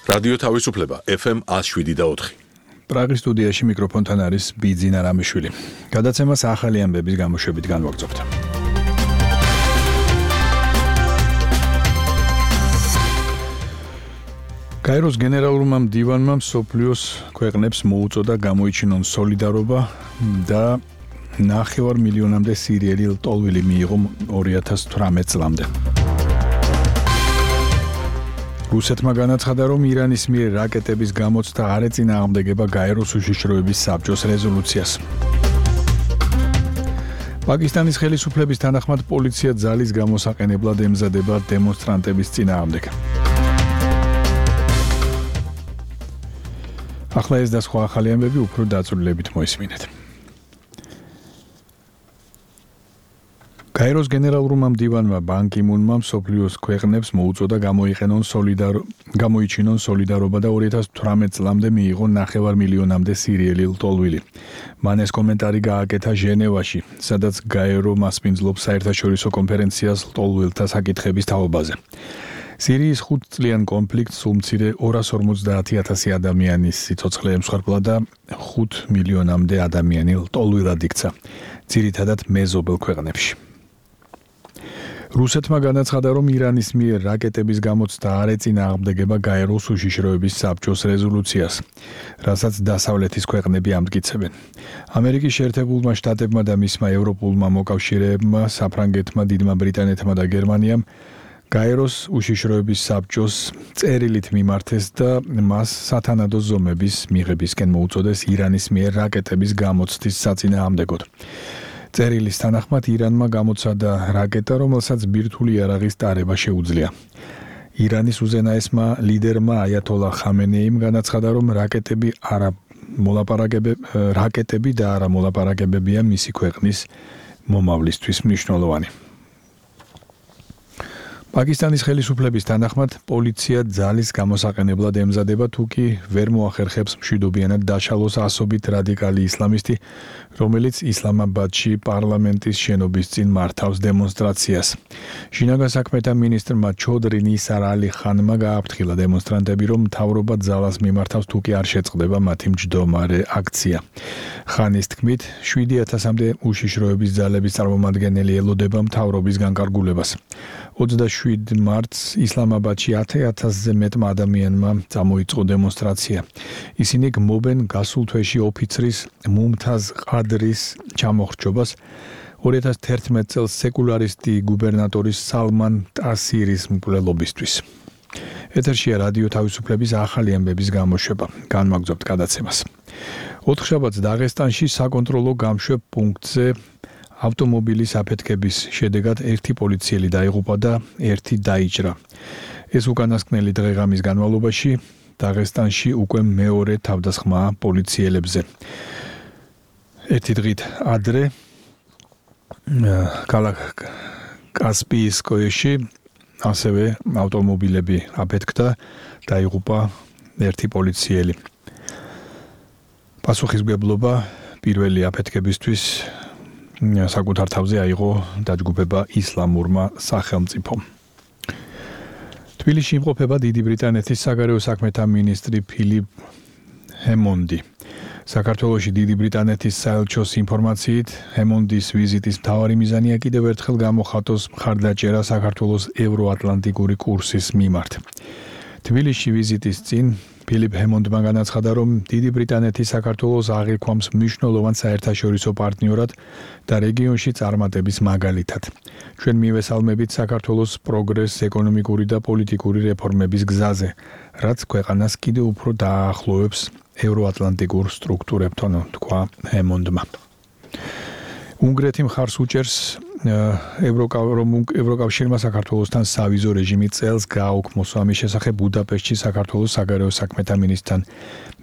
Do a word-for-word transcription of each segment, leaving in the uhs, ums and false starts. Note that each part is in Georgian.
რადიო თავისუფლება ეფ ემ one oh seven point four. პრაღის სტუდიაში მიკროფონთან არის ბიძინა რამიშვილი. გადაცემას ახალი ამბების გამოშვებით განვაგრძობთ. გაეროს გენერალურმა მდივანმა მსოფლიოს ქვეყნებს მოუწოდა გამოიჩინონ სოლიდარობა და ნახევარ მილიონამდე სირიელი ლტოლვილი მიიღო ორი ათას თვრამეტ წლამდე. რუსეთმა განაცხადა, რომ ირანის მიერ რაკეტების გამოცდა არ ეწინააღმდეგება გაეროს უშიშროების საბჭოს რეზოლუციას. პაკისტანის ხელისუფლების თანახმად პოლიცია ძალის გამოსაყენებლად ემზადება დემონსტრანტების წინააღმდეგ. ახლა ეს და სხვა ახალი ამბები უფრო დაწვრილებით მოისმინეთ. გაეროს გენერალურმა მდივანმა ბან კი მუნმა მსოფლიოს ქვეყნებს მოუწოდა გამოიყენონ სოლიდარო გამოიჩინონ სოლიდარობა და ორი ათას თვრამეტ წლამდე მიიღო ნახევარ მილიონამდე სირიელი ლტოლვილი. მან ეს კომენტარი გააკეთა ჟენევაში, სადაც გაერო მასპინძლობს საერთაშორისო კონფერენციას ლტოლვილთა საკითხების თაობაზე. სირიის ხუთწლიან კონფლიქტს უმცირე ორას ორმოცდაათი ათასი ადამიანის სიცოცხლე ემსხვერპლა და ხუთ მილიონამდე ადამიანი ლტოლვილად იქცა, ძირითადად მეზობელ ქვეყნებში. რუსეთმა განაცხადა, რომ ირანის მიერ რაკეტების გამოცდა არ ეწინააღმდეგება გაეროს უშიშროების საბჭოს რეზოლუციას, რასაც დასავლეთის ქვეყნები ამტკიცებენ. ამერიკის შეერთებულმა შტატებმა და მისმა ევროპულმა მოკავშირეებმა, საფრანგეთმა, დიდმა ბრიტანეთმა და გერმანიამ გაეროს უშიშროების საბჭოს წერილით მიმართეს და მას სათანადო ზომების მიღებისკენ მოუწოდეს ირანის მიერ რაკეტების გამოცდის საწინააღმდეგოდ. წერილის თანახმად ირანმა გამოცადა რაკეტა, რომელსაც ბირთვული იარაღის ტარება შეუძლია. ირანის უზენაესმა ლიდერმა აიათოლა ხამენეიმ განაცხადა, რომ რაკეტები არა მოლაპარაკებები რაკეტები და არა მოლაპარაკებებია მისი ქვეყნის მომავლისთვის მნიშვნელოვანი. პაკისტანის ხელისუფლების თანახმად პოლიცია ძალის გამოსაყენებლად ემზადება, თუკი ვერ მოახერხებს მშვიდობიანად დაშალოს ასობით რადიკალი ისლამისტი, რომელიც ისლამაბადში პარლამენტის შენობის წინ მართავს დემონსტრაციას. შინაგან საქმეთა მინისტრმა ჩოდრი ნისარ ალი ხანმა გააფრთხილა დემონსტრანტები, რომ მთავრობა ძალას მიმართავს, თუკი არ შეწყდება მათი მჯდომარე აქცია. ხანის თქმით, შვიდი ათასამდე უშიშროების ძალების წარმომადგენელი ელოდება მთავრობის განკარგულებას. ოცდაშვიდ მარტს ისლამაბადში ათი ათასზე მეტმა ადამიანმა წამოიწყო დემონსტრაცია. ისინი გმობენ გასულ თვეში ოფიცრის მუმთაზ ყადრის ჩამოხრჩობას, ორი ათას თერთმეტ წელს სეკულარისტი გუბერნატორის სალმან ტასირის მკვლელობისთვის. ეთერშია რადიო თავისუფლების ახალი ამბების გამოშვება. განვაგრძობთ გადაცემას. ოთხშაბათს დაღესტანში საკონტროლო გამშვებ პუნქტზე ავტომობილის აფეთქების შედეგად ერთი პოლიციელი დაიღუპა და ერთი დაიჭრა. ეს უკანასკნელი დღე-ღამის განმავლობაში დაღესტანში უკვე მეორე თავდასხმაა პოლიციელებზე. ერთი დღით ადრე ქალაქ კასპიისკოეში ასევე ავტომობილები აფეთქდა, დაიღუპა ერთი პოლიციელი. პასუხისმგებლობა პირველი აფეთქებისთვის საკუთარ თავზე აიღო დაჯგუფება ისლამურმა სახელმწიფომ. თბილისში იმყოფება დიდი ბრიტანეთის საგარეო საქმეთა მინისტრი ფილიპ ჰემონდი. საქართველოში დიდი ბრიტანეთის საელჩოს ინფორმაციით, ჰემონდის ვიზიტის მთავარი მიზანია კიდევ ერთხელ გამოხატოს მხარდაჭერა საქართველოს ევროატლანტიკური კურსის მიმართ. თბილისში ვიზიტის წინ ფილიპ ჰემონდმა განაცხადა, რომ დიდი ბრიტანეთი საქართველოს აღიქვამს მნიშვნელოვან საერთაშორისო პარტნიორად და რეგიონში წარმატების მაგალითად. ჩვენ მივესალმებით საქართველოს პროგრესს ეკონომიკური და პოლიტიკური რეფორმების გზაზე, რაც ქვეყანას კიდევ უფრო დაახლოებს ევროატლანტიკურ სტრუქტურებთან, თქვა ჰემონდმა. უნგრეთი მხარს უჭერს ევროკავშირმა საქართველოსთან სავიზო რეჟიმი წელს გააუქმოს. ამის შესახებ ბუდაპეშტში საქართველოს საგარეო საქმეთა მინისტრთან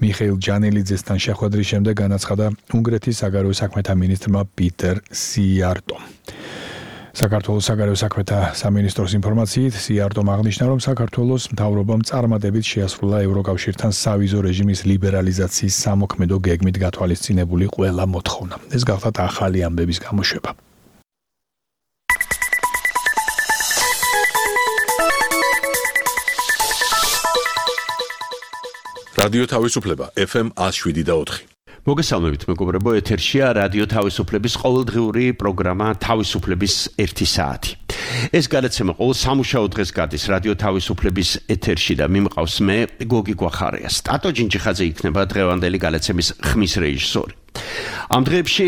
მიხეილ ჯანელიძესთან შეხვედრის შემდეგ განაცხადა უნგრეთის საგარეო საქმეთა მინისტრმა პიტერ სიარტომ. საქართველოს საგარეო საქმეთა სამინისტროს ინფორმაციით სიარტომ აღნიშნა, რომ საქართველოს მთავრობამ წარმატებით შეასრულა ევროკავშირთან სავიზო რეჟიმის ლიბერალიზაციის სამოქმედო გეგმით გათვალისწინებული ყველა მოთხოვნა. ეს გახლავთ ახალი ამბების გამოშვება. რადიო თავისუფლება ეფ ემ one oh seven point four. მოგესალმებით მეგობრებო, ეთერშია რადიო თავისუფლების ყოველდღიური პროგრამა თავისუფლების ერთი საათი. ეს გადაცემა ყოველ სამუშაო დღეს გადის რადიო თავისუფლების ეთერში და მიმყავს მე გოგი გვახარია. სტატო ჯინჯიხაძე იქნება დღევანდელი გადაცემის ხმის რეჟისორი. ამ დღეებში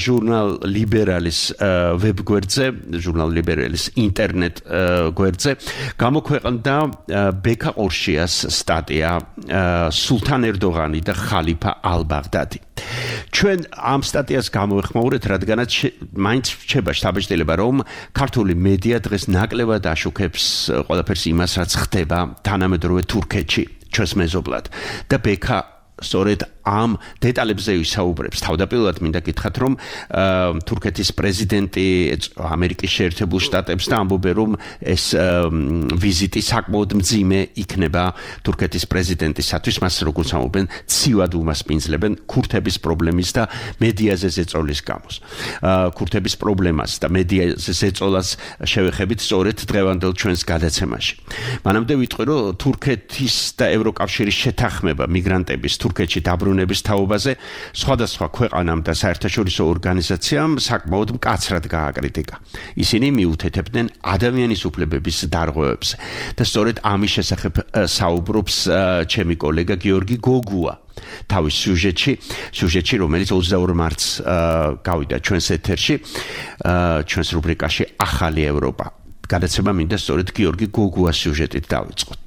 ჟურნალ ლიბერალის ვებგვერდზე, ჟურნალ ლიბერალის ინტერნეტ გვერდზე გამოქვეყნდა ბექა ყორშიას სტატია სულთან ერდოღანი და ხალიფა ალ-ბაღდადი. ჩვენ ამ სტატიას გამოვეხმაურეთ, რადგანაც მაინც რჩება შთაბეჭდილება, რომ ქართული მედია დღეს ნაკლებად აშუქებს ყველაფერს იმას, რაც ხდება თანამედროვე თურქეთში, ჩვენს მეზობლად და ბექა სწორედ ამ დეტალებზე ვისაუბრებს. თავდაპირველად მინდა გითხრათ, რომ თურქეთის პრეზიდენტი ამერიკის შეერთებულ შტატებს და ამბობენ, რომ ეს ვიზიტი საკმაოდ მძიმე იქნება თურქეთის პრეზიდენტისათვის, მას როგორც ამბობენ, ცივად უმასპინძლებენ ქურთების პრობლემის და მედიაზე ზეწოლის გამოს. ქურთების პრობლემას და მედიაზე ზეწოლას შევეხებით სწორედ დღევანდელ ჩვენს გადაცემაში. მანამდე ვიტყვი, რომ თურქეთის და ევროკავშირის შეთანხმება მიგრანტების თურქეთში დაბრუნების თაობაზე სხვადასხვა ქვეყანამ და საერთაშორისო ორგანიზაციამ საკმაოდ მკაცრად გააკრიტიკა. ისინი მიუთითებდნენ ადამიანის უფლებების დარღვევებს და სწორედ ამის შესახებ საუბრობს ჩემი კოლეგა გიორგი გოგუა. თავის სიუჟეტში, სიუჟეტში, რომელიც ოცდაორ მარტს გავიდა ჩვენს ეთერში, ჩვენს რუბრიკაში ახალი ევროპა. გადაცემა მინდა სწორედ გიორგი გოგუას სიუჟეტით დავიწყოთ.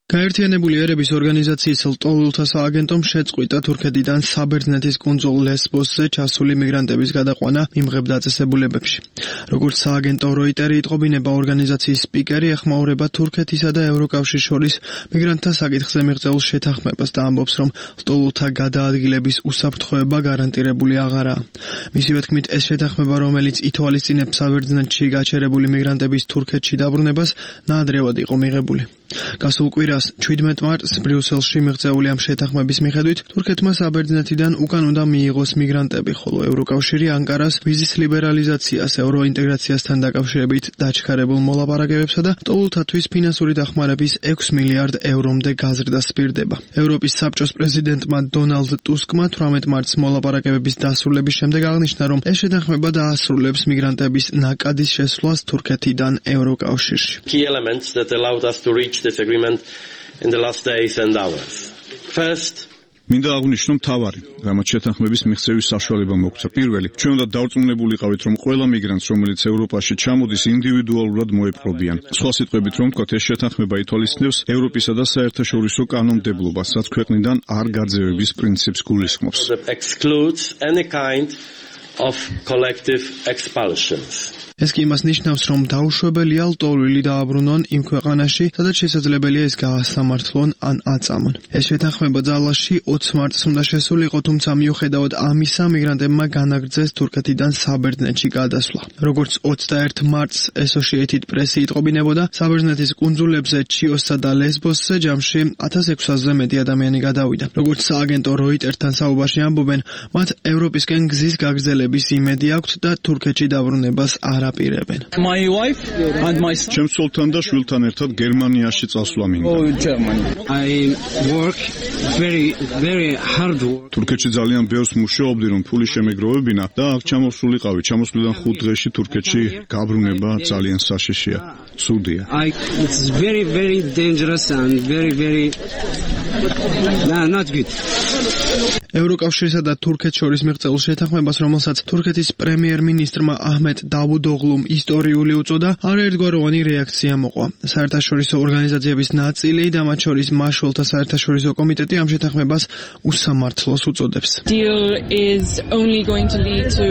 გაერთიანებული ერების ორგანიზაციის ლტოლვილთა სააგენტომ შეწყვიტა თურქეთიდან საბერძნეთის კუნძულ ლესბოსზე ჩასული მიგრანტების გადაყვანა მიმღებ დაწესებულებებში. როგორც სააგენტო როიტერი იტყობინება, ორგანიზაციის სპიკერი ეხმაურება თურქეთისა და ევროკავშირის შორის მიგრანტთა საკითხზე მიღწეულ შეთანხმებას და ამბობს, რომ ლტოლვილთა გადაადგილების უსაფრთხოება გარანტირებული აღარაა. მისივე თქმით, ეს შეთანხმება, რომელიც ითვალისწინებს საბერძნეთში გაჩერებული მიგრანტების თურქეთში დაბრუნებას, ნაადრევად იყო მიღებული. გასულ კვირას შვიდმეტ მარტს ბრიუსელში მიღწეული ამ შეთანხმების მიხედვით თურქეთმა საბერძნეთიდან უკან უნდა მიიღოს მიგრანტები, ხოლო ევროკავშირი ანკარას ვიზის ლიბერალიზაციას ევროინტეგრაციასთან დაკავშირებით დაჩქარებულ მოლაპარაკებებსა და ლტოლვილთათვის ფინანსური დახმარების ექვსი მილიარდ ევრომდე გაზრდას პირდება. ევროპის საბჭოს პრეზიდენტმა დონალდ ტუსკმა თვრამეტ მარტს მოლაპარაკებების დასრულების შემდეგ აღნიშნა, რომ ეს შეთანხმება დაასრულებს მიგრანტების ნაკადის შესვლას თურქეთიდან ევროკავშირში. Key elements that allowed us to reach this agreement in the last days and hours. First, მინდა აღვნიშნო მთავარი, რამაც შეთანხმების მიღწევის საშუალება მოგვცა. პირველი, ჩვენ უნდა დავწმუნებულიყავით, რომ ყველა მიგრანტს, რომელიც ევროპაში ჩამოდის, ინდივიდუალურად მოეპყრობიან. სხვა სიტყვებით რომ ვთქვათ, ეს შეთანხმება ითვალისწინებს ევროპისა და საერთაშორისო კანონმდებლობას, რაც ქვეყნიდან არ გაძევების პრინციპს გულისხმობს. excludes any kind of collective expulsions. ეს კი იმას ნიშნავს, რომ დაუშვებელია ლტოლვილი დააბრუნონ იმ ქვეყანაში, სადაც შესაძლებელია ის გაასამართლონ ან აწამონ. ეს შეთანხმება ძალაში ოცი მარტს უნდა შესულიყო, თუმცა მიუხედავად ამისა, მიგრანტებმა განაგრძეს თურქეთიდან საბერძნეთში გადასვლა. როგორც ოცდაერთ მარტს Associated Press იტყობინებოდა, საბერძნეთის კუნძულებზე ჩიოსსა და ლესბოსზე ჯამში ათას ექვსასზე მეტი ადამიანი გადავიდა. როგორც სააგენტო როიტერთან საუბარში ამბობენ, მათ ევროპისკენ გზის გაგრძელების იმედი აქვთ და თურქეთში დაბრუნებას არ აპირებენ. My wife and my son. ჩემს ცოლთან და შვილთან ერთად გერმანიაში წასვლა მინდა. Oh, Germany. I work very very hard work. თურქეთში ძალიან ბევრს მუშაობდი, რომ ფული შემეგროვებინა და აქ ჩამოსულიყავი. ჩამოსვლიდან ხუთ დღეში თურქეთში გაბრუნება ძალიან საშიშია. სურდია. I it's very very dangerous and very very no, not good. ევროკავშირსა და თურქეთს შორის მიღწეულ შეთანხმებას, რომელსაც თურქეთის პრემიერ-მინისტრმა აჰმედ დავუდოღლუმ ისტორიული უწოდა, არაერთგვაროვანი რეაქცია მოყვა. საერთაშორისო ორგანიზაციების ნაწილი და მათ შორის მაშველთა საერთაშორისო კომიტეტი ამ შეთანხმებას უსამართლოს უწოდებს. Deal is only going to lead to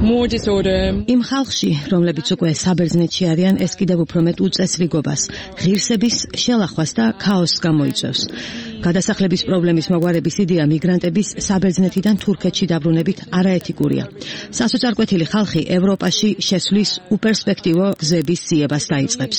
more disorder. იმ ხალხში, რომლებიც უკვე საბერძნეთში არიან, ეს კიდევ უფრო მეტ უწესრიგობას, ღირსების შელახვას და ქაოსს გამოიწვევს. გადასახლების პრობლემის მოგვარების იდეა მიგრანტების საბერძნეთიდან თურქეთში დაბრუნებით არაეთიკურია. სასოწარკვეთილი ხალხი ევროპაში შესვლის უპერსპექტივო გზების ძიებას დაიწყებს.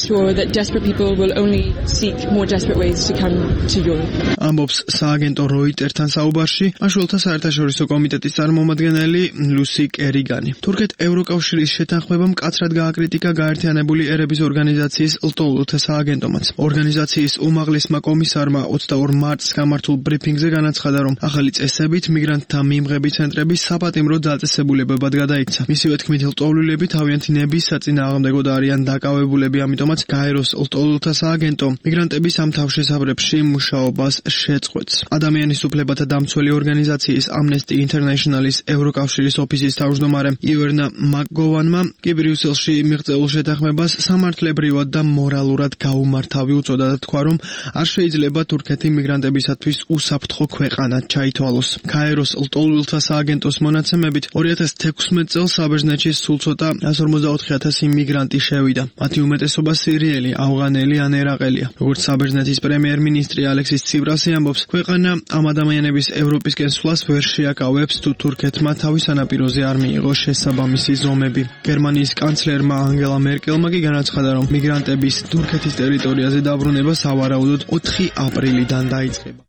ამბობს სააგენტო როიტერთან საუბარში მაშველთა საერთაშორისო კომიტეტის წარმომადგენელი ლუსი კერიგანი. თურქეთ ევროკავშირის შეთანხმება მკაცრად გააკრიტიკა გაერთიანებული ერების ორგანიზაციის ლტოლვილთა სააგენტომაც. ორგანიზაციის უმაღლესმა კომისარმა ოცდაორ მარტს მარტს გამართულ ბრიფინგზე განაცხადა, რომ ახალი წესებით მიგრანტთა მიმღები ცენტრები საპატიმრო დაწესებულებებად გადაიქცა. მისივე თქმით, ლტოლვილები თავიანთი ნების საწინააღმდეგოდ არიან დაკავებულები, ამიტომაც გაეროს ლტოლვილთა სააგენტო მიგრანტების ამ თავშესაფრებში მუშაობას შეწყვეტს. ადამიანის უფლებათა დამცველი ორგანიზაციის Amnesty International-ის ევროკავშირის ოფისის თავმჯდომარე ივერნა მაკგოვანმა კი ბრიუსელში მიღწეულ შეთანხმებას სამართლებრივად და მორალურად გაუმართავი უწოდა და თქვა, რომ არ შეიძლება თურქეთი მიგრანტებისათვის უსაფრთხო ქვეყანად ჩაითვალოს. გაეროს ლტოლვილთა სააგენტოს მონაცემებით ორი ათას თექვსმეტ წელს საბერძნეთში სულ ცოტა εκατს ორმოცდაოთხი ათასი მიგრანტი შევიდა. მათი უმეტესობა სირიელი, ავღანელი ან ერაყელია. როგორც საბერძნეთის პრემიერ-მინისტრი ალექსის ცივრასი ამბობს, ქვეყანა ამ ადამიანების ევროპისკენ სვლას ვერ შეაკავებს, თუ თურქეთმა თავის სანაპიროზე არ მიიღო შესაბამისი ზომები. გერმანიის კანცლერმა ანგელა მერკელმა კი განაცხადა, რომ მიგრანტების თურქეთის ტერიტორიაზე დაბრუნება სავარაუდოდ ოთხი აპრილიდან დაიწყება.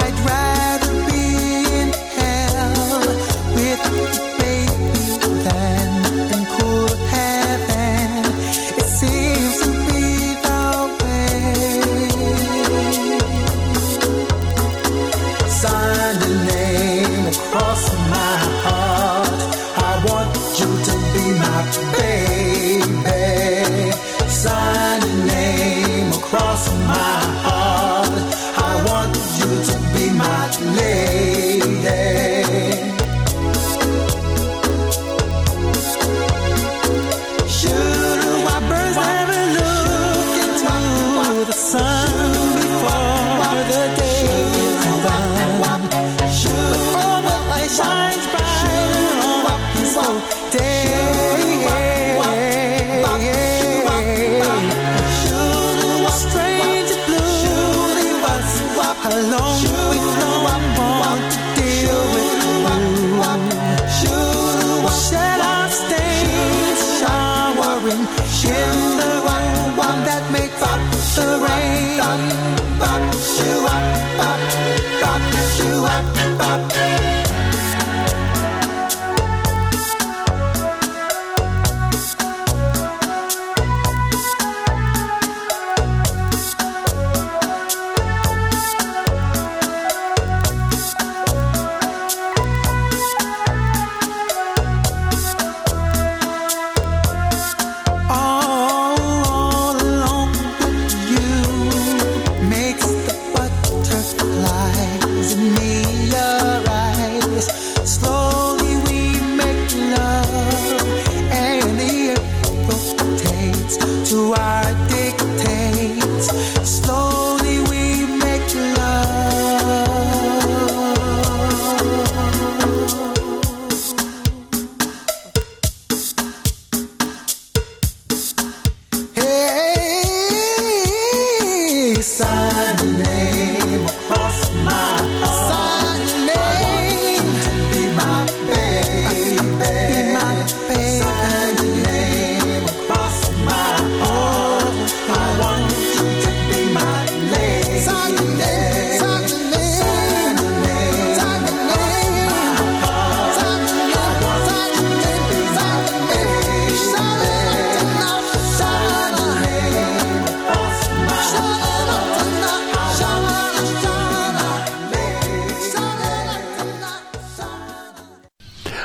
I'd rather be in hell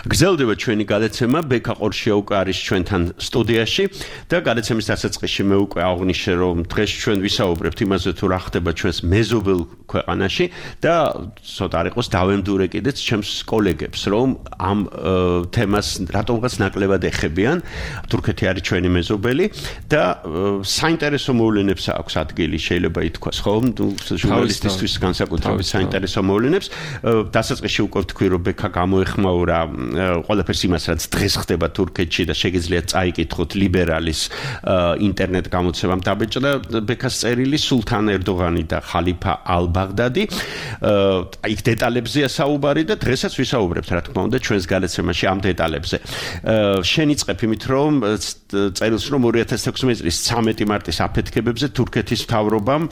გრძელდება ჩვენი გადაცემა, ბექა ყორშია უკვე არის ჩვენთან სტუდიაში და გადაცემის დასაწყისში მე უკვე აღვნიშნე, რომ დღეს ჩვენ ვისაუბრებთ იმაზე, თუ რა ხდება ჩვენს მეზობელ ქვეყანაში და ცოტა არ იყოს დავემდურე კიდეც ჩემს კოლეგებს, რომ ამ თემას რატომღაც ნაკლებად ეხებიან. თურქეთი არის ჩვენი მეზობელი და საინტერესო მოვლენებს აქვს ადგილი, შეიძლება ითქვას, ხო? ჟურნალისტისთვის განსაკუთრებით საინტერესო მოვლენებს. დასაწყისში უკვე ვთქვი, რომ ბექა გამოეხმაურა ყველაფერს იმას, რაც დღეს ხდება თურქეთში და შეგიძლიათ წაიკითხოთ ლიბერალის ინტერნეტ გამოცემამ დაბეჭდა ბექას წერილი სულთან ერდოღანი და ხალიფა ალბაღდადი. აი დეტალებზეა საუბარი და დღესაც ვისაუბრებთ, რა თქმა უნდა, ჩვენს გადაცემაში ამ დეტალებზე. შენიწყებ იმით, რომ წერილს რომ ორი ათას ექვსმეტი წლის ცამეტი მარტის აფეთქებებზე თურქეთის მთავრობამ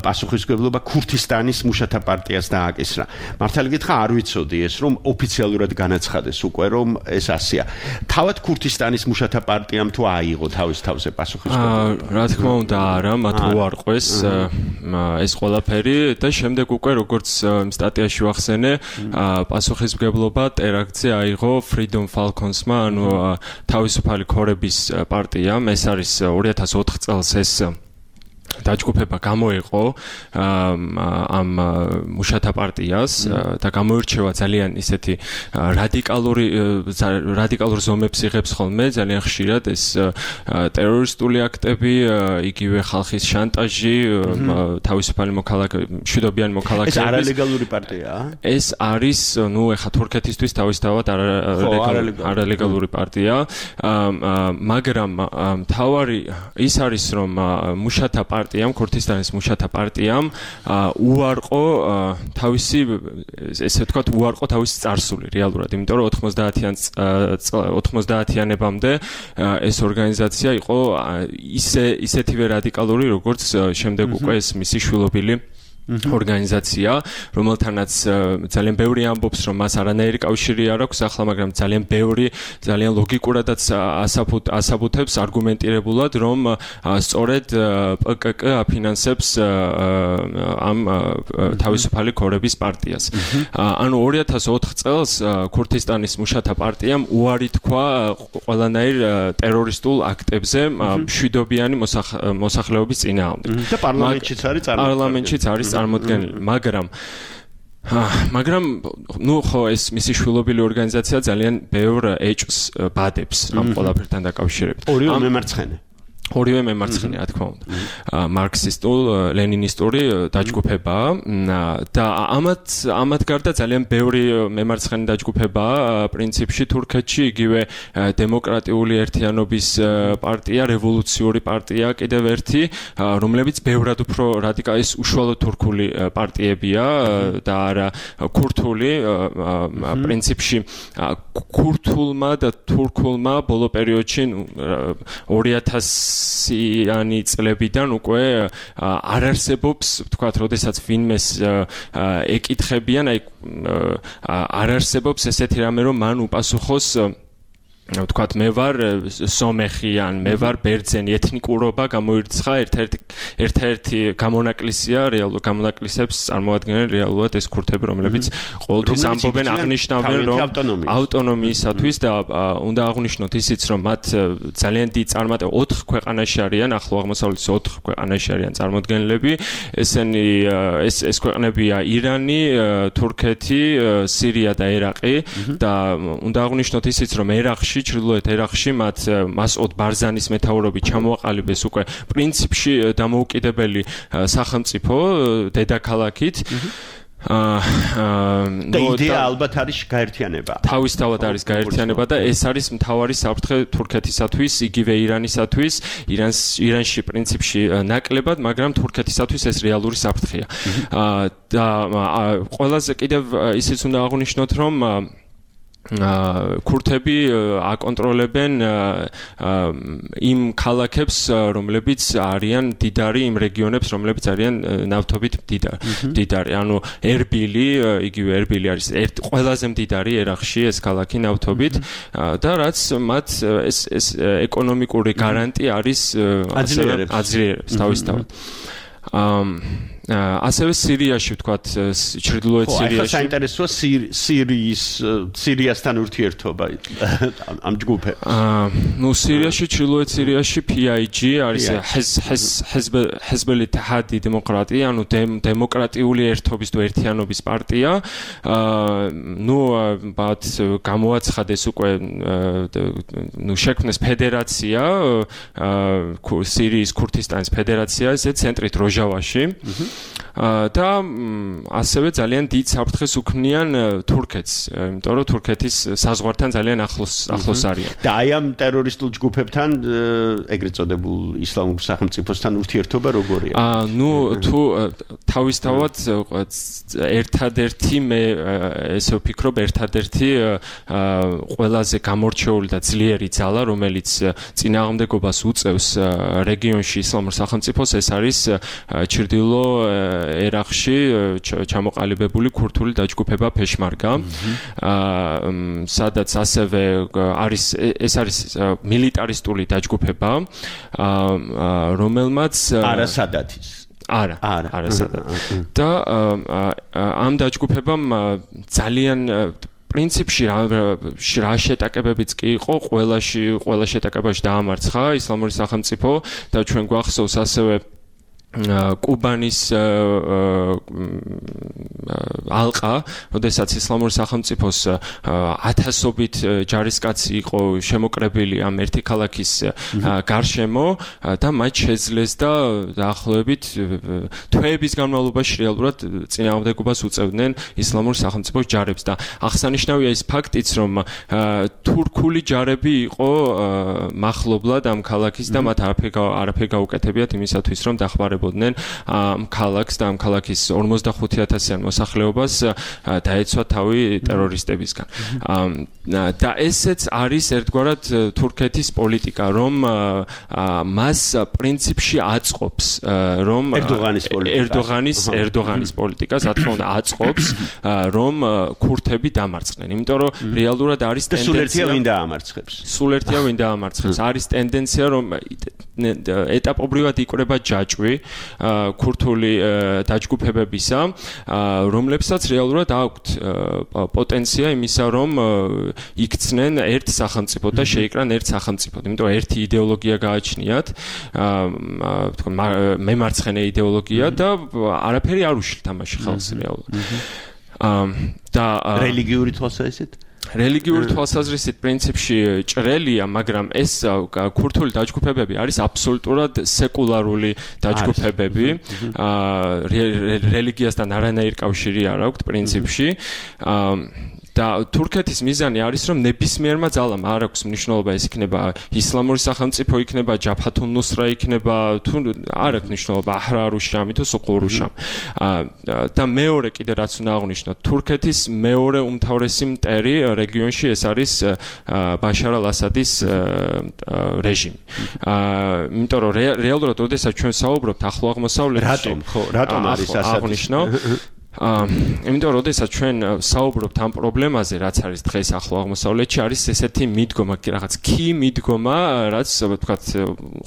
პასუხისმგებლობა ქურთისტანის მუშათა პარტიას დააკისრა. მართალი გითხრა, არ ვიცოდი ეს, რომ ოფიციალურად განაცხადეს უკვე, რომ ეს ასია. თავად ქურთისტანის მუშათა პარტიამ თუ აიღო თავის თავზე პასუხისმგებლობა? რა თქმა უნდა, არა, მათ უარყვეს ეს ყველაფერი და შემდეგ უკვე როგორც სტატიაში ვახსენე, პასუხისმგებლობა ტერაქტზე აიღო Freedom Falcons-მა, ანუ თავისუფალი ქორების პარტიამ. ეს არის ორი ათას ოთხ წელს ეს დაჯგუფება გამოიყო ამ მუშათა პარტიას და გამოირჩევა ძალიან ისეთი რადიკალური რადიკალურ ზომებს იღებს ხოლმე ძალიან ხშირად ეს ტერორისტული აქტები, იგივე ხალხის შანტაჟი, თავისუფალი მოქალაქე, მშვიდობიანი მოქალაქეების. ეს არალეგალური პარტიაა? ეს არის, ნუ ეხა თურქეთისთვის თავისთავად არალეგალური პარტია, მაგრამ მთავარი ის არის, რომ მუშათა პარტია პარტიამ, ქურთისტანის მუშათა პარტიამ უარყო თავისი, ესე ვთქვათ, უარყო თავისი წარსული რეალურად, იმიტომ რომ ოთხმოცდაათიანებამდე ეს ორგანიზაცია იყო ისე ისეთივე რადიკალური, როგორც შემდეგ უკვე ეს მისი შვილობილი ორგანიზაცია, რომელთანაც ძალიან ბევრი ამბობს, რომ მას არანაირი კავშირი არ აქვს ახლა, მაგრამ ძალიან ბევრი, ძალიან ლოგიკურადაც ასაბუთებს არგუმენტირებულად, რომ სწორედ პკკ აფინანსებს ამ თავისუფალი ქორების პარტიას. ანუ ორი ათას ოთხ წელს ქურთისტანის მუშათა პარტიამ უარი თქვა ყველანაირ ტერორისტულ აქტებზე მშვიდობიანი მოსახლეობის წინააღმდეგ. და პარლამენტშიც არის წარმოქმნილი. პარლამენტშიც არის წარმოქმნილი, მაგრამ მაგრამ ნუ ხო ეს მისი შვილობილი ორგანიზაცია ძალიან ბევრ ეჭვს ბადებს ამ ყველაფერთან დაკავშირებით. ორივე მემარცხენე. ორივე მემარცხენე, რა თქმა უნდა. მარქსისტულ, ლენინისტური დაჯგუფებაა და ამათ ამათ გარდა ძალიან ბევრი მემარცხენე დაჯგუფებაა პრინციპში თურქეთში, იგივე დემოკრატიული ერთიანობის პარტია, რევოლუციური პარტია, კიდევ ერთი, რომლებიც ბევრად უფრო რადიკალური, ეს უშუალოდ თურქული პარტიებია და არა ქურთული. პრინციპში ქურთულმა და თურქულმა ბოლო პერიოდში ორი ათასიანი წლებიდან უკვე არ არსებობს, ვთქვათ, როდესაც ვინმეს ეკითხებიან, აი არ არსებობს ესეთი რამე, რომ მან უპასუხოს ვთქვათ, მე ვარ სომეხი ან მე ვარ ბერძენი, ეთნიკურობა გამოირცხა, ერთ-ერთი ერთ-ერთი გამონაკლისია, რეალურ გამონაკლისებს წარმოადგენენ რეალურად ეს ქურთები, რომლებიც ყოველთვის ამბობენ, აღნიშნავენ, რომ ავტონომიისათვის და უნდა აღნიშნოთ ისიც, რომ მათ ძალიან დიდი წარმატება ოთხ ქვეყანაში არიან, ახლო აღმოსავლეთის ოთხ ქვეყანაში არიან წარმოდგენილები. ესენი ეს ეს ქვეყნებია ირანი, თურქეთი, სირია და ერაყი და უნდა აღნიშნოთ ისიც, რომ ერაყში ჩრდილოეთ ერაყში მათ მასოდ ბარზანის მეთაურობით ჩამოაყალიბეს უკვე პრინციპში დამოუკიდებელი სახელმწიფო დედაქალაქით. და იდეა ალბათ არის გაერთიანება. თავისთავად არის გაერთიანება და ეს არის მთავარი საფრთხე თურქეთისათვის, იგივე ირანისათვის. ირანს ირანში პრინციპში ნაკლებად, მაგრამ თურქეთისათვის ეს რეალური საფრთხეა. და ყველაზე კიდევ ისიც უნდა აღნიშნოთ, რომ ქურთები აკონტროლებენ იმ ქალაქებს, რომლებიც არიან მდიდარი, იმ რეგიონებს, რომლებიც არიან ნავთობით მდიდარი. ანუ ერბილი, იგივე ერბილი არის ყველაზე მდიდარი ერაყში ეს ქალაქი ნავთობით და რაც მათ ეს ეს ეკონომიკური გარანტი არის აძლიერებს თავისთავად. ასევე სირიაში ვთქვათ ჩრდილოეთ სირიაში. ხო, საინტერესოა სირიის სირიასთან ურთიერთობა ამ ჯგუფებს. აა, ნუ სირიაში, ჩრდილოეთ სირიაში P I G არის ჰეზბელი თაჰადი დემოკრატია, ანუ დემოკრატიული ერთობის თუ ერთიანობის პარტია. აა, ნუ ბათ გამოაცხადეს უკვე ნუ შექმნეს ფედერაცია, აა, სირიის ქურთისტანის ფედერაცია, ესე ცენტრით როჟავაში. და ასევე ძალიან დიდ საფრთხეს უქმნიან თურქეთს, იმიტომ რომ თურქეთის საზღვართან ძალიან ახლოს ახლოს არიან. და აი ამ ტერორისტულ ჯგუფებთან ეგრეთ წოდებულ ისლამურ სახელმწიფოსთან ურთიერთობა როგორია? აა, ნუ თუ თავისთავად ერთადერთი მე ესე ვფიქრობ, ერთადერთი ყველაზე გამორჩეული და ძლიერი ძალა, რომელიც წინააღმდეგობას უწევს რეგიონში ისლამურ სახელმწიფოს, ეს არის ჩრდილო ერაყში ჩამოყალიბებული ქურთული დაჯგუფება ფეშმარგა, სადაც ასევე არის ეს არის მილიტარისტული დაჯგუფება, რომელმაც არა სადათის არა არა სადათი და ამ დაჯგუფებამ ძალიან პრინციპში რა შეტაკებებიც კი იყო, ყველაში ყველა შეტაკებაში დაამარცხა ისლამური სახელმწიფო და ჩვენ გვახსოვს ასევე კუბანის ალყა, როდესაც ისლამური სახელმწიფოს ათასობით ჯარისკაცი იყო შემოკრებილი ამ ერთი ქალაქის გარშემო და მათ შეძლეს და დაახლოებით თვეების განმავლობაში რეალურად წინააღმდეგობას უწევდნენ ისლამურ სახელმწიფოს ჯარებს და აღსანიშნავია ის ფაქტიც, რომ თურქული ჯარები იყო მახლობლად ამ ქალაქის და მათ არაფერი გაუკეთებიათ იმისათვის, რომ დახმარებოდნენ ამ ქალაქს და ამ ქალაქის ორმოცდახუთი ათასიან მოსახლეობას დაეცვა თავი ტერორისტებისგან. და ესეც არის ერთგვარად თურქეთის პოლიტიკა, რომ მას პრინციპში აწყობს, რომ ერდოღანის პოლიტიკა ერდოღანის ერდოღანის პოლიტიკა, რა თქმა უნდა, აწყობს, რომ ქურთები დამარცხდნენ. იმიტომ რომ რეალურად არის ტენდენცია სულ ერთია ვინ დაამარცხებს. სულ ერთია ვინ დაამარცხებს. არის ტენდენცია, რომ ეტაპობრივად იკვრება ჯაჭვი ქურთული დაჯგუფებებისა, რომლებსაც რეალურად აქვთ პოტენცია იმისა, რომ იქცნენ ერთ სახელმწიფოდ და შეიკრან ერთ სახელმწიფოდ. იმიტომ ერთი იდეოლოგია გააჩნიათ, თქო მემარცხენე იდეოლოგია და არაფერი არ უშლით ამაში ხალხს რეალურად. და რელიგიური თვალსაზრისით რელიგიური თვალსაზრისით პრინციპში ჭრელია, მაგრამ ეს ქურთული დაჯგუფებები არის აბსოლუტურად სეკულარული დაჯგუფებები. რელიგიასთან არანაირი კავშირი არ აქვთ პრინციპში. და თურქეთის მიზანი არის, რომ ნებისმიერმა ძალამ არ აქვს მნიშვნელობა, ეს იქნება ისლამური სახელმწიფო, იქნება ჯაფათუნ ნუსრა, იქნება თუ არ აქვს მნიშვნელობა აჰრარუშამი თუ სუყურუშამი. და მეორე კიდე რაც უნდა აღვნიშნოთ, თურქეთის მეორე უმთავრესი მტერი რეგიონში ეს არის ბაშარ ალ-ასადის რეჟიმი. იმიტომ რომ რეალურად ოდესაც ჩვენ საუბრობთ ახლო აღმოსავლეთში, რატომ ხო, რატომ არის ასადის? იმიტომ რომ ოდესაც ჩვენ საუბრობთ ამ პრობლემაზე, რაც არის დღეს ახლო აღმოსავლეთში, არის ესეთი მიდგომა, რაღაც კი მიდგომა, რაც ვთქვათ,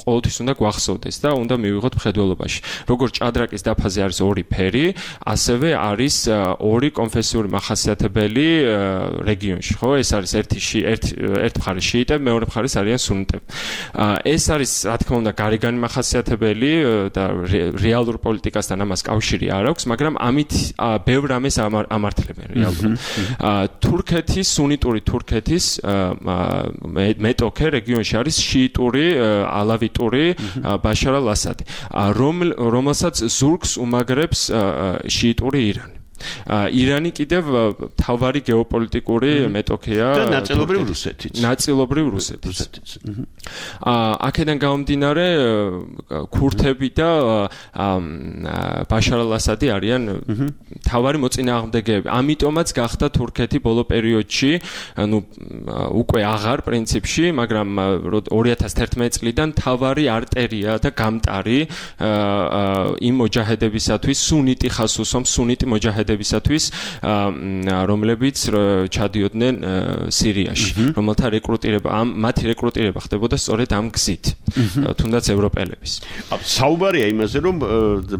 ყოველთვის უნდა გვახსოვდეს და უნდა მივიღოთ მხედველობაში. როგორც ჭადრაკის დაფაზე არის ორი ფერი, ასევე არის ორი კონფესიური მახასიათებელი რეგიონში, ხო? ეს არის ერთი ერთ ერთ მხარე შიიტები, მეორე მხარეს არიან სუნიტები. ეს არის, რა თქმა უნდა, გარეგანი მახასიათებელი და რეალურ პოლიტიკასთან ამას კავშირი არ აქვს, მაგრამ ამით ბევრ ამას ამართლებენ რეალურად. თურქეთის, სუნიტური თურქეთის მეტოქე რეგიონში არის შიიტური, ალავიტური ბაშარ ალ-ასადი, რომელსაც ზურგს უმაგრებს შიიტური ირანი. ირანი კიდევ თავარი გეოპოლიტიკური მეტოქეა და ნაწილობრივ რუსეთიც. ნაწილობრივ რუსეთიც. აქედან გამომდინარე ქურთები და ბაშარ ალ-ასადი არიან თავარი მოწინააღმდეგეები. ამიტომაც გახდა თურქეთი ბოლო პერიოდში, ну, უკვე აღარ პრინციპში, მაგრამ ორი ათას თერთმეტი წლიდან თავარი არტერია და გამტარი იმ მოჯაჰედებისათვის, სუნიტი ხას უსვამს, სუნიტი მოჯაჰედები მიგრანტებისათვის, რომლებიც ჩადიოდნენ სირიაში, რომელთა რეკრუტირება, ამ მათი რეკრუტირება ხდებოდა სწორედ ამ გზით, თუნდაც ევროპელების. საუბარია იმაზე, რომ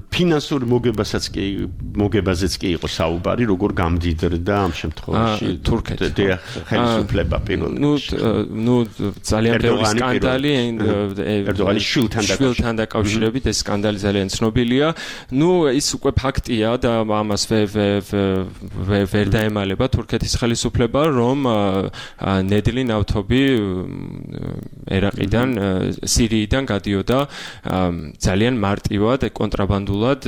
ფინანსური მოგებასაც კი მოგებაზეც კი იყო საუბარი, როგორ გამდიდრდა ამ შემთხვევაში თურქეთი. ხელისუფლება პირველ რიგში. ნუ ძალიან ბევრი სკანდალი ერდოღანის შვილთან დაკავშირებით ეს სკანდალი ძალიან ცნობილია. ნუ ის უკვე ფაქტია და ამას ვერ დაემალება თურქეთის ხელისუფლება, რომ ნედლი ნავთობი ერაყიდან, სირიიდან გადიოდა ძალიან მარტივად, კონტრაბანდულად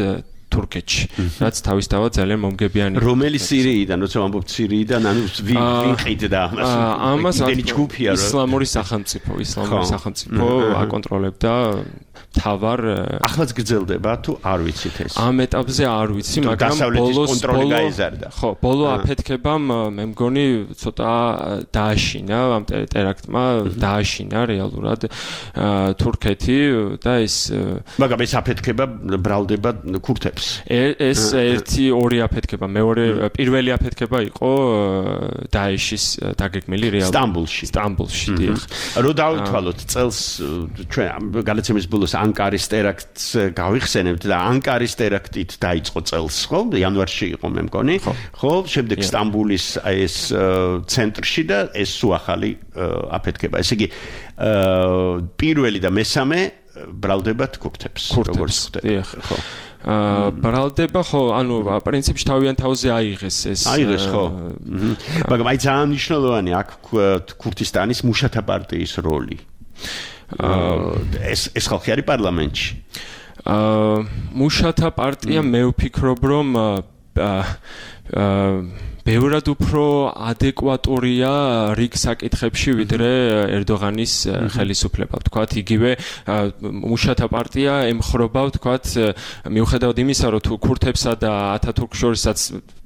თურქეთში, რაც თავისთავად ძალიან მომგებიანი. რომელი სირიიდან, როცა ვამბობთ სირიიდან, ანუ ვინ ყიდდა ამას? ამას იმდენი ჯგუფია, რომ ისლამური სახელმწიფო, ისლამური სახელმწიფო აკონტროლებდა თავარ. ახლაც გრძელდება თუ არ ვიცით ეს? ამ ეტაპზე არ ვიცი, მაგრამ ბოლოს კონტროლი გაიზარდა. ხო, ბოლო აფეთქებამ მე მგონი ცოტა დააშინა ამ ტერაქტმა, დააშინა რეალურად თურქეთი და ეს მაგრამ ეს აფეთქება ბრალდება ქურთებს. ეს ერთი ორი აფეთქება, მეორე პირველი აფეთქება იყო დაეშის დაგეგმილი რეალურად სტამბოლში. სტამბოლში, დიახ. რო დავითვალოთ წელს ჩვენ გადაცემის ბოლოს ანკარის ტერაქტს გავიხსენებთ და ანკარის ტერაქტით დაიწყო წელს, ხო? იანვარში იყო მე მგონი. ხო, შემდეგ სტამბოლის ეს ცენტრში და ეს სუახალი აფეთქება. ესე იგი პირველი და მესამე ბრალდებათ ქურთებს, როგორც ხდება. ხო. აა ბრალდება ხო, ანუ პრინციპში თავიანთ თავზე აიღეს ეს. აიღეს ხო. მაგრამ აი ძალიან მნიშვნელოვანი აქ ქურთისტანის მუშათა პარტიის როლი. ეს ეს ხალხი არის პარლამენტში. აა მუშათა პარტია მე ვფიქრობ, რომ აა ბევრად უფრო ადეკვატურია რიგ საკითხებში ვიდრე ერდოღანის ხელისუფლება. ვთქვათ, იგივე მუშათა პარტია ემხრობა, ვთქვათ, მიუხედავად იმისა, რომ თუ ქურთებსა და ათათურქ შორისაც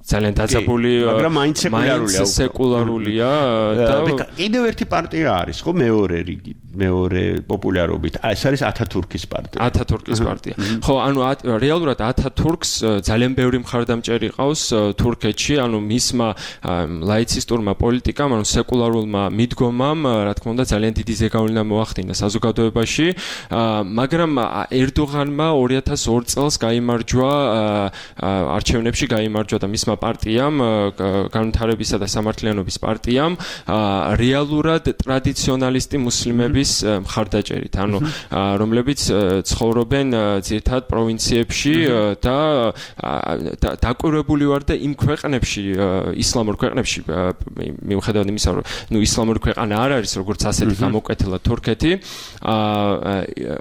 ძალიან დაძაბული, მაგრამ მაინც სეკულარულია. სეკულარულია და კიდევ ერთი პარტია არის, ხო, მეორე რიგი, მეორე პოპულარობით. ეს არის ათათურქის პარტია. ათათურქის პარტია. ხო, ანუ რეალურად ათათურქს ძალიან ბევრი მხარდამჭერი ყავს თურქეთში, ანუ მისმა ლაიცისტურმა პოლიტიკამ, ანუ სეკულარულმა მიდგომამ, რა თქმა უნდა, ძალიან დიდი ზეგავლენა მოახდინა საზოგადოებაში, მაგრამ ერდოღანმა ორი ათას ორი წელს გაიმარჯვა არჩევნებში გაიმარჯვა და მისმა პარტიამ, განვითარებისა და სამართლიანობის პარტიამ, რეალურად ტრადიციონალისტი მუსლიმების მხარდაჭერით, ანუ რომლებიც ცხოვრობენ ძირითადად პროვინციებში და დაკვირვებული ვარ და იმ ქვეყნებში, ისლამურ ქვეყნებში, მიუხედავად იმისა, რომ ნუ ისლამური ქვეყანა არ არის, როგორც ასეთი გამოკვეთილა თურქეთი,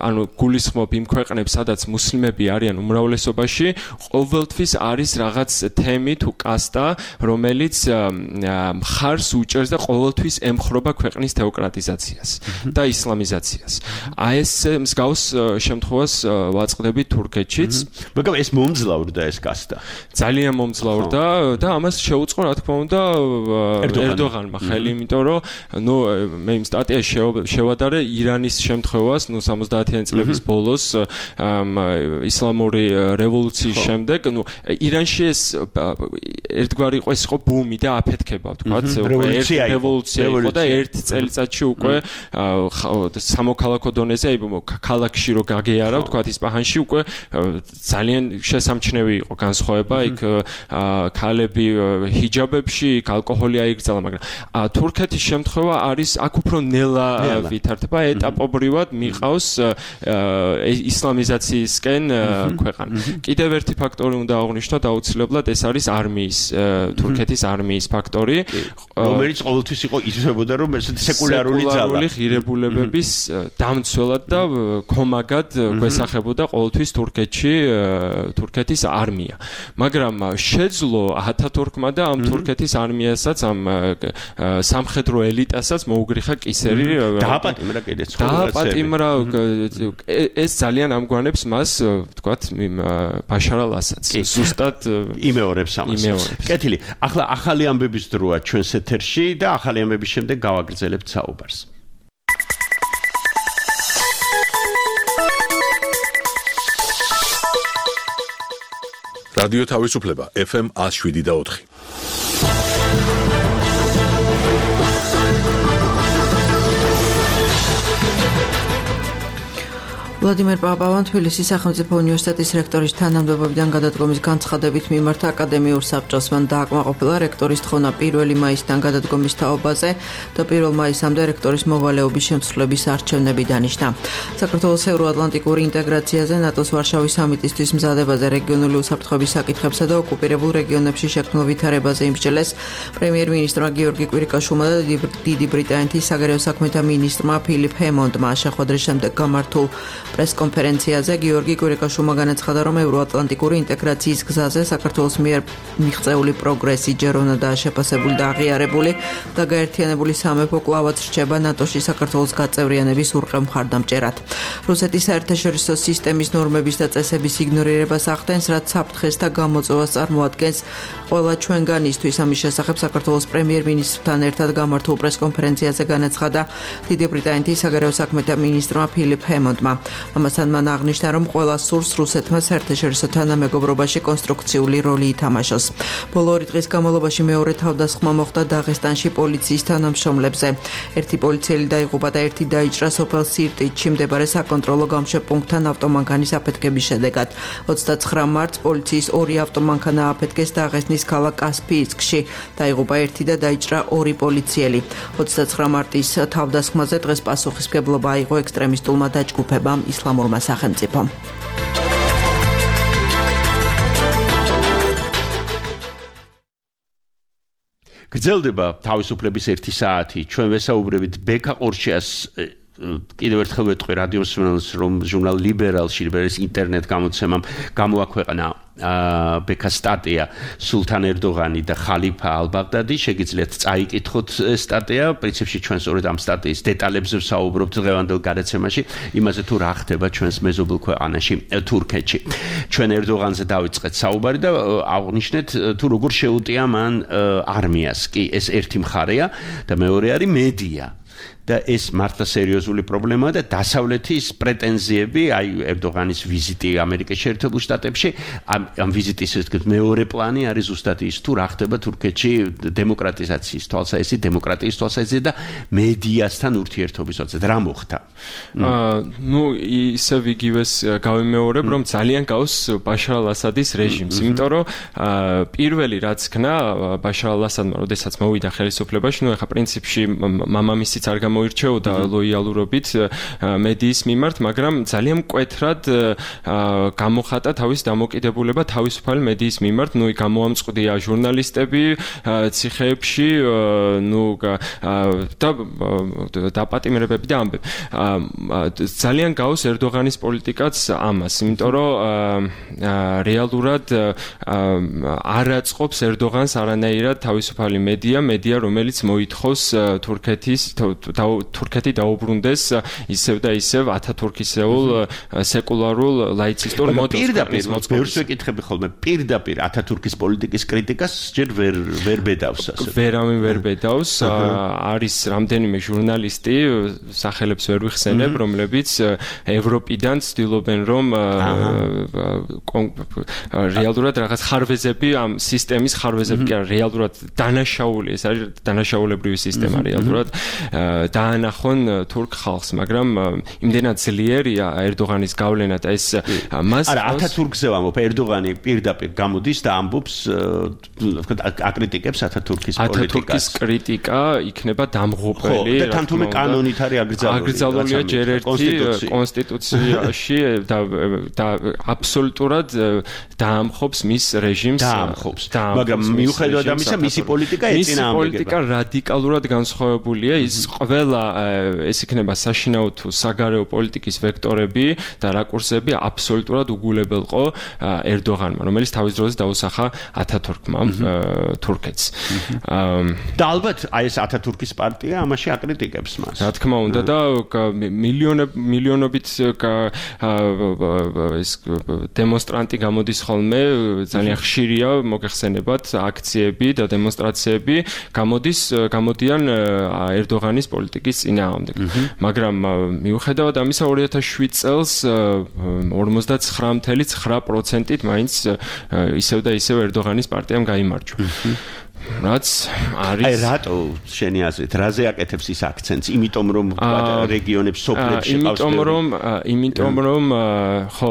ანუ გულისხმობ იმ ქვეყნებს, სადაც მუსლიმები არიან უმრავლესობაში, ყოველთვის არის რაღაც თემი თუ კასტა, რომელიც მხარს უჭერს და ყოველთვის ემხრობა ქვეყნის თეოკრატიზაციას და ისლამიზაციას. აი ეს მსგავს შემთხვევას ვაწყდები თურქეთშიც. მაგრამ ეს მომძლავრდა ეს კასტა. ძალიან მომძლავრდა და ამას შეუწყო, რა თქმა უნდა, ერდოღანმა ხელი, იმიტომ რომ ნუ მე იმ სტატიაში შევადარე ირანის შემთხვევას, ნუ სამოცდაათიანი წლების ბოლოს ისლამური რევოლუციის შემდეგ, ნუ ირანში ეს ერთგვარი იყო, ეს იყო ბუმი და აფეთქება, ვთქვათ, ერთი რევოლუცია იყო და ერთი წელიწადში უკვე სამოქალაქო დონეზე, აი ქალაქში რო გაგეარა, ვთქვათ, ისპაჰანში უკვე ძალიან შესამჩნევი იყო განსხვავება, იქ ქალები ჰიჯაბებში, ალკოჰოლი აიგრძალა, მაგრამ თურქეთის შემთხვევა არის აქ უფრო ნელა ვითარდება, ეტაპობრივად მიყავს ისლამიზაციისკენ ქვეყანა. კიდევ ერთი ფაქტორი უნდა აღვნიშნოთ აუცილებლად, ეს არის არმიის, თურქეთის არმიის ფაქტორი, რომელიც ყოველთვის იყო იზრდებოდა, რომ ესეთი სეკულარული ძალა, სეკულარული ღირებულებების დამცველად და ქომაგად გვესახებოდა ყოველთვის თურქეთში თურქეთის არმია. მაგრამ შეძლო ათათურქმა და ამ თურქეთის არმიასაც, ამ სამხედრო ელიტასაც მოუგრიხა კისერი. დააპატიმრა კიდეც. დააპატიმრა, ეს ძალიან ამგვანებს მას, ვთქვათ, ბაშარ ალ-ასადს. ზუსტად იმეორებს ამას. კეთილი. ახლა ახალი ამბების დროა ჩვენს ეთერში და ახალი ამბების შემდეგ გავაგრძელებთ საუბარს. რადიო თავისუფლება ეფ ემ one oh seven და four. ვლადიმერ პაპავამ თბილისის სახელმწიფო უნივერსიტეტის რექტორის თანამდებობიდან გადადგომის განცხადებით მიმართა აკადემიურ საბჭოს. მან დააკმაყოფილა რექტორის თხოვნა პირველი მაისიდან გადადგომის თაობაზე და პირველ მაისამდე რექტორის მოვალეობის შემსრულების არჩევნები დანიშნა. საქართველოს ევროატლანტიკური ინტეგრაციაზე, ნატოს ვარშავის სამიტისთვის მზადებაზე, რეგიონული უსაფრთხოების საკითხებსა და ოკუპირებულ რეგიონებში შექმნილ ვითარებაზე იმსჯელეს პრემიერ-მინისტრმა გიორგი კვირიკაშვილმა და დიდი ბრიტანეთის საგარეო საქმეთა მინისტრმა ფილიპ ჰემონდმა შეხვედრის შემდეგ გამართულ პრეს-კონფერენციაზე გიორგი კვირიკაშვილმა განაცხადა, რომ ევროატლანტიკური ინტეგრაციის გზაზე საქართველოს მიერ მიღწეული პროგრესი ჯერ უნდა შეფასებული და აღიარებული და გაერთიანებული სამეფო კვლავაც რჩება ნატოში საქართველოს გაწევრიანების ურყევ მხარდამჭერად. რუსეთის საერთაშორისო სისტემის ნორმების და წესების იგნორირებას ახდენს, რაც საფრთხეს და გამოწვევას წარმოადგენს ყველა ჩვენგანისთვის. ამის შესახებ საქართველოს პრემიერ-მინისტრთან ერთად გამართულ პრეს-კონფერენციაზე განაცხადა დიდი ბრიტანეთის საგარეო საქმეთა მინისტრმა ფილიპ ჰემონდმა. ამასთან მან აღნიშნა, რომ ყველა სურს რუსეთმა საერთაშორისო თანამეგობრობაში კონსტრუქციული როლი ითამაშოს. ბოლო ორი დღის განმავლობაში მეორე თავდასხმა მოხდა დაღესტანში პოლიციის თანამშრომლებზე. ერთი პოლიციელი დაიღუპა და ერთი დაიჭრა სოფელ სირტიჩში მდებარე საკონტროლო გამშვებპუნქტთან ავტომანქანის აფეთქების შედეგად. ოცდაცხრა მარტს პოლიციის ორი ავტომანქანა აფეთქეს დაღესტნის ქალაქ კასპიისკში. დაიღუპა ერთი და დაიჭრა ორი პოლიციელი. ოცდაცხრა მარტის თავდასხმაზე დღეს პასუხისმგებლობა აიღო ექსტრემისტულმა დაჯგუფებამ ისლამურმა სახელმწიფომ. გრძელდება თავისუფლების ერთი საათი. ჩვენ ვესაუბრებით ბექა ყორჩიას კიდევ ერთხელ ვეტყვი რადიო მსმენელს, რომ ჟურნალ ლიბერალში, ლიბერალის ინტერნეტ გამოცემამ გამოაქვეყნა ბექა სტატია სულთან ერდოღანი და ხალიფა ალბაღდადი. შეგიძლიათ წაიკითხოთ სტატია. პრინციპში ჩვენ სწორედ ამ სტატიის დეტალებზე ვსაუბრობთ დღევანდელ გადაცემაში, იმაზე თუ რა ხდება ჩვენს მეზობელ ქვეყანაში თურქეთში. ჩვენ ერდოღანზე დავიწყეთ საუბარი და აღნიშნეთ თუ როგორ შეუტია მან არმიას. კი, ეს ერთი მხარეა და მეორე არის მედია. და ეს მართლა სერიოზული პრობლემაა და დასავლეთის პრეტენზიები, აი ერდოღანის ვიზიტი ამერიკის შეერთებულ შტატებში, ამ ამ ვიზიტის ეს მეორე პლანი არის ზუსტად ის, თუ რა ხდება თურქეთში დემოკრატიზაციის თვალსაზრისით, დემოკრატიის თვალსაზრისით და მედიასთან ურთიერთობის თვალსაზრისით. რა მოხდა? აა, ნუ ისევ იგივეს გავიმეორებ, რომ ძალიან გავს ბაშარ ალ-ასადის რეჟიმს, იმიტომ რომ პირველი რაც ქნა ბაშარ ალ-ასადმა, როდესაც მოვიდა ხელისუფლებაში, ნუ ეხა პრინციპში მამამისიც არ მოირჩეოდა ლოიალურობით მედიის მიმართ, მაგრამ ძალიან მკვეთრად გამოხატა თავის დამოკიდებულება თავისუფალი მედიის მიმართ. ნუ გამოამწყვდია ჟურნალისტები ციხეებში, ნუ და დაპატიმრებები და ამბები. ძალიან გავს ერდოღანის პოლიტიკაც ამას, იმიტომ რომ რეალურად არ აწყობს ერდოღანს არანაირად თავისუფალი მედია, მედია რომელიც მოითხოვს თურქეთის თურქეთი დაუბრუნდეს ისევ და ისევ ათათურქისეულ სეკულარულ ლაიცისტურ მოდელს. პირდაპირ ბევრს ვეკითხები ხოლმე, პირდაპირ ათათურქის პოლიტიკის კრიტიკას ჯერ ვერ ვერ ბედავს ასე. ვერავინ ვერ ბედავს. არის რამდენიმე ჟურნალისტი, სახელებს ვერ ვიხსენებ, რომლებიც ევროპიდან ცდილობენ რომ რეალურად რაღაც ხარვეზები ამ სისტემის ხარვეზები კი არა, რეალურად დანაშაული, ეს არის დანაშაულებრივი სისტემა რეალურად დაანახონ თურქ ხალხს, მაგრამ იმდენად ძლიერია ერდოღანის გავლენა და ეს მას არა ათათურქზე ვამბობ, ერდოღანი პირდაპირ გამოდის და ამბობს, ვთქვათ, აკრიტიკებს ათათურქის პოლიტიკას. ათათურქის კრიტიკა იქნება დამღუპელი, და თან თუმე კანონით არის აკრძალული. აკრძალულია ჯერ ერთი კონსტიტუციაში და და აბსოლუტურად დაამხობს მის რეჟიმს. დაამხობს. მაგრამ მიუხედავად ამისა, მისი პოლიტიკა ეწინააღმდეგება. მისი პოლიტიკა რადიკალურად განსხვავებულია. ის ყველა ეს იქნება საშინაო თუ საგარეო პოლიტიკის ვექტორები და რაკურსები აბსოლუტურად უგულებელყო ერდოღანმა, რომელიც თავის დროზე დაუსახა ათათურქმა თურქეთს. და ალბათ აი ეს ათათურქის პარტია ამაში აკრიტიკებს მას. რა თქმა უნდა და მილიონები მილიონობით ეს დემონსტრანტი გამოდის ხოლმე, ძალიან ხშირია მოგეხსენებათ აქციები და დემონსტრაციები, გამოდის გამოდიან ერდოღანის ერდოღანის პოლიტიკის წინააღმდეგ. მაგრამ მიუხედავად ამისა ორი ათას შვიდ წელს ორმოცდათხრა წუთი ცხრა პროცენტით მაინც ისევ და ისევ ერდოღანის პარტიამ გაიმარჯვა. რაც არის აი რატო შენი აზრით რაზე აკეთებს ის აქცენტს იმიტომ რომ რეგიონებს სოფლებში ყავს იმიტომ რომ იმიტომ რომ ხო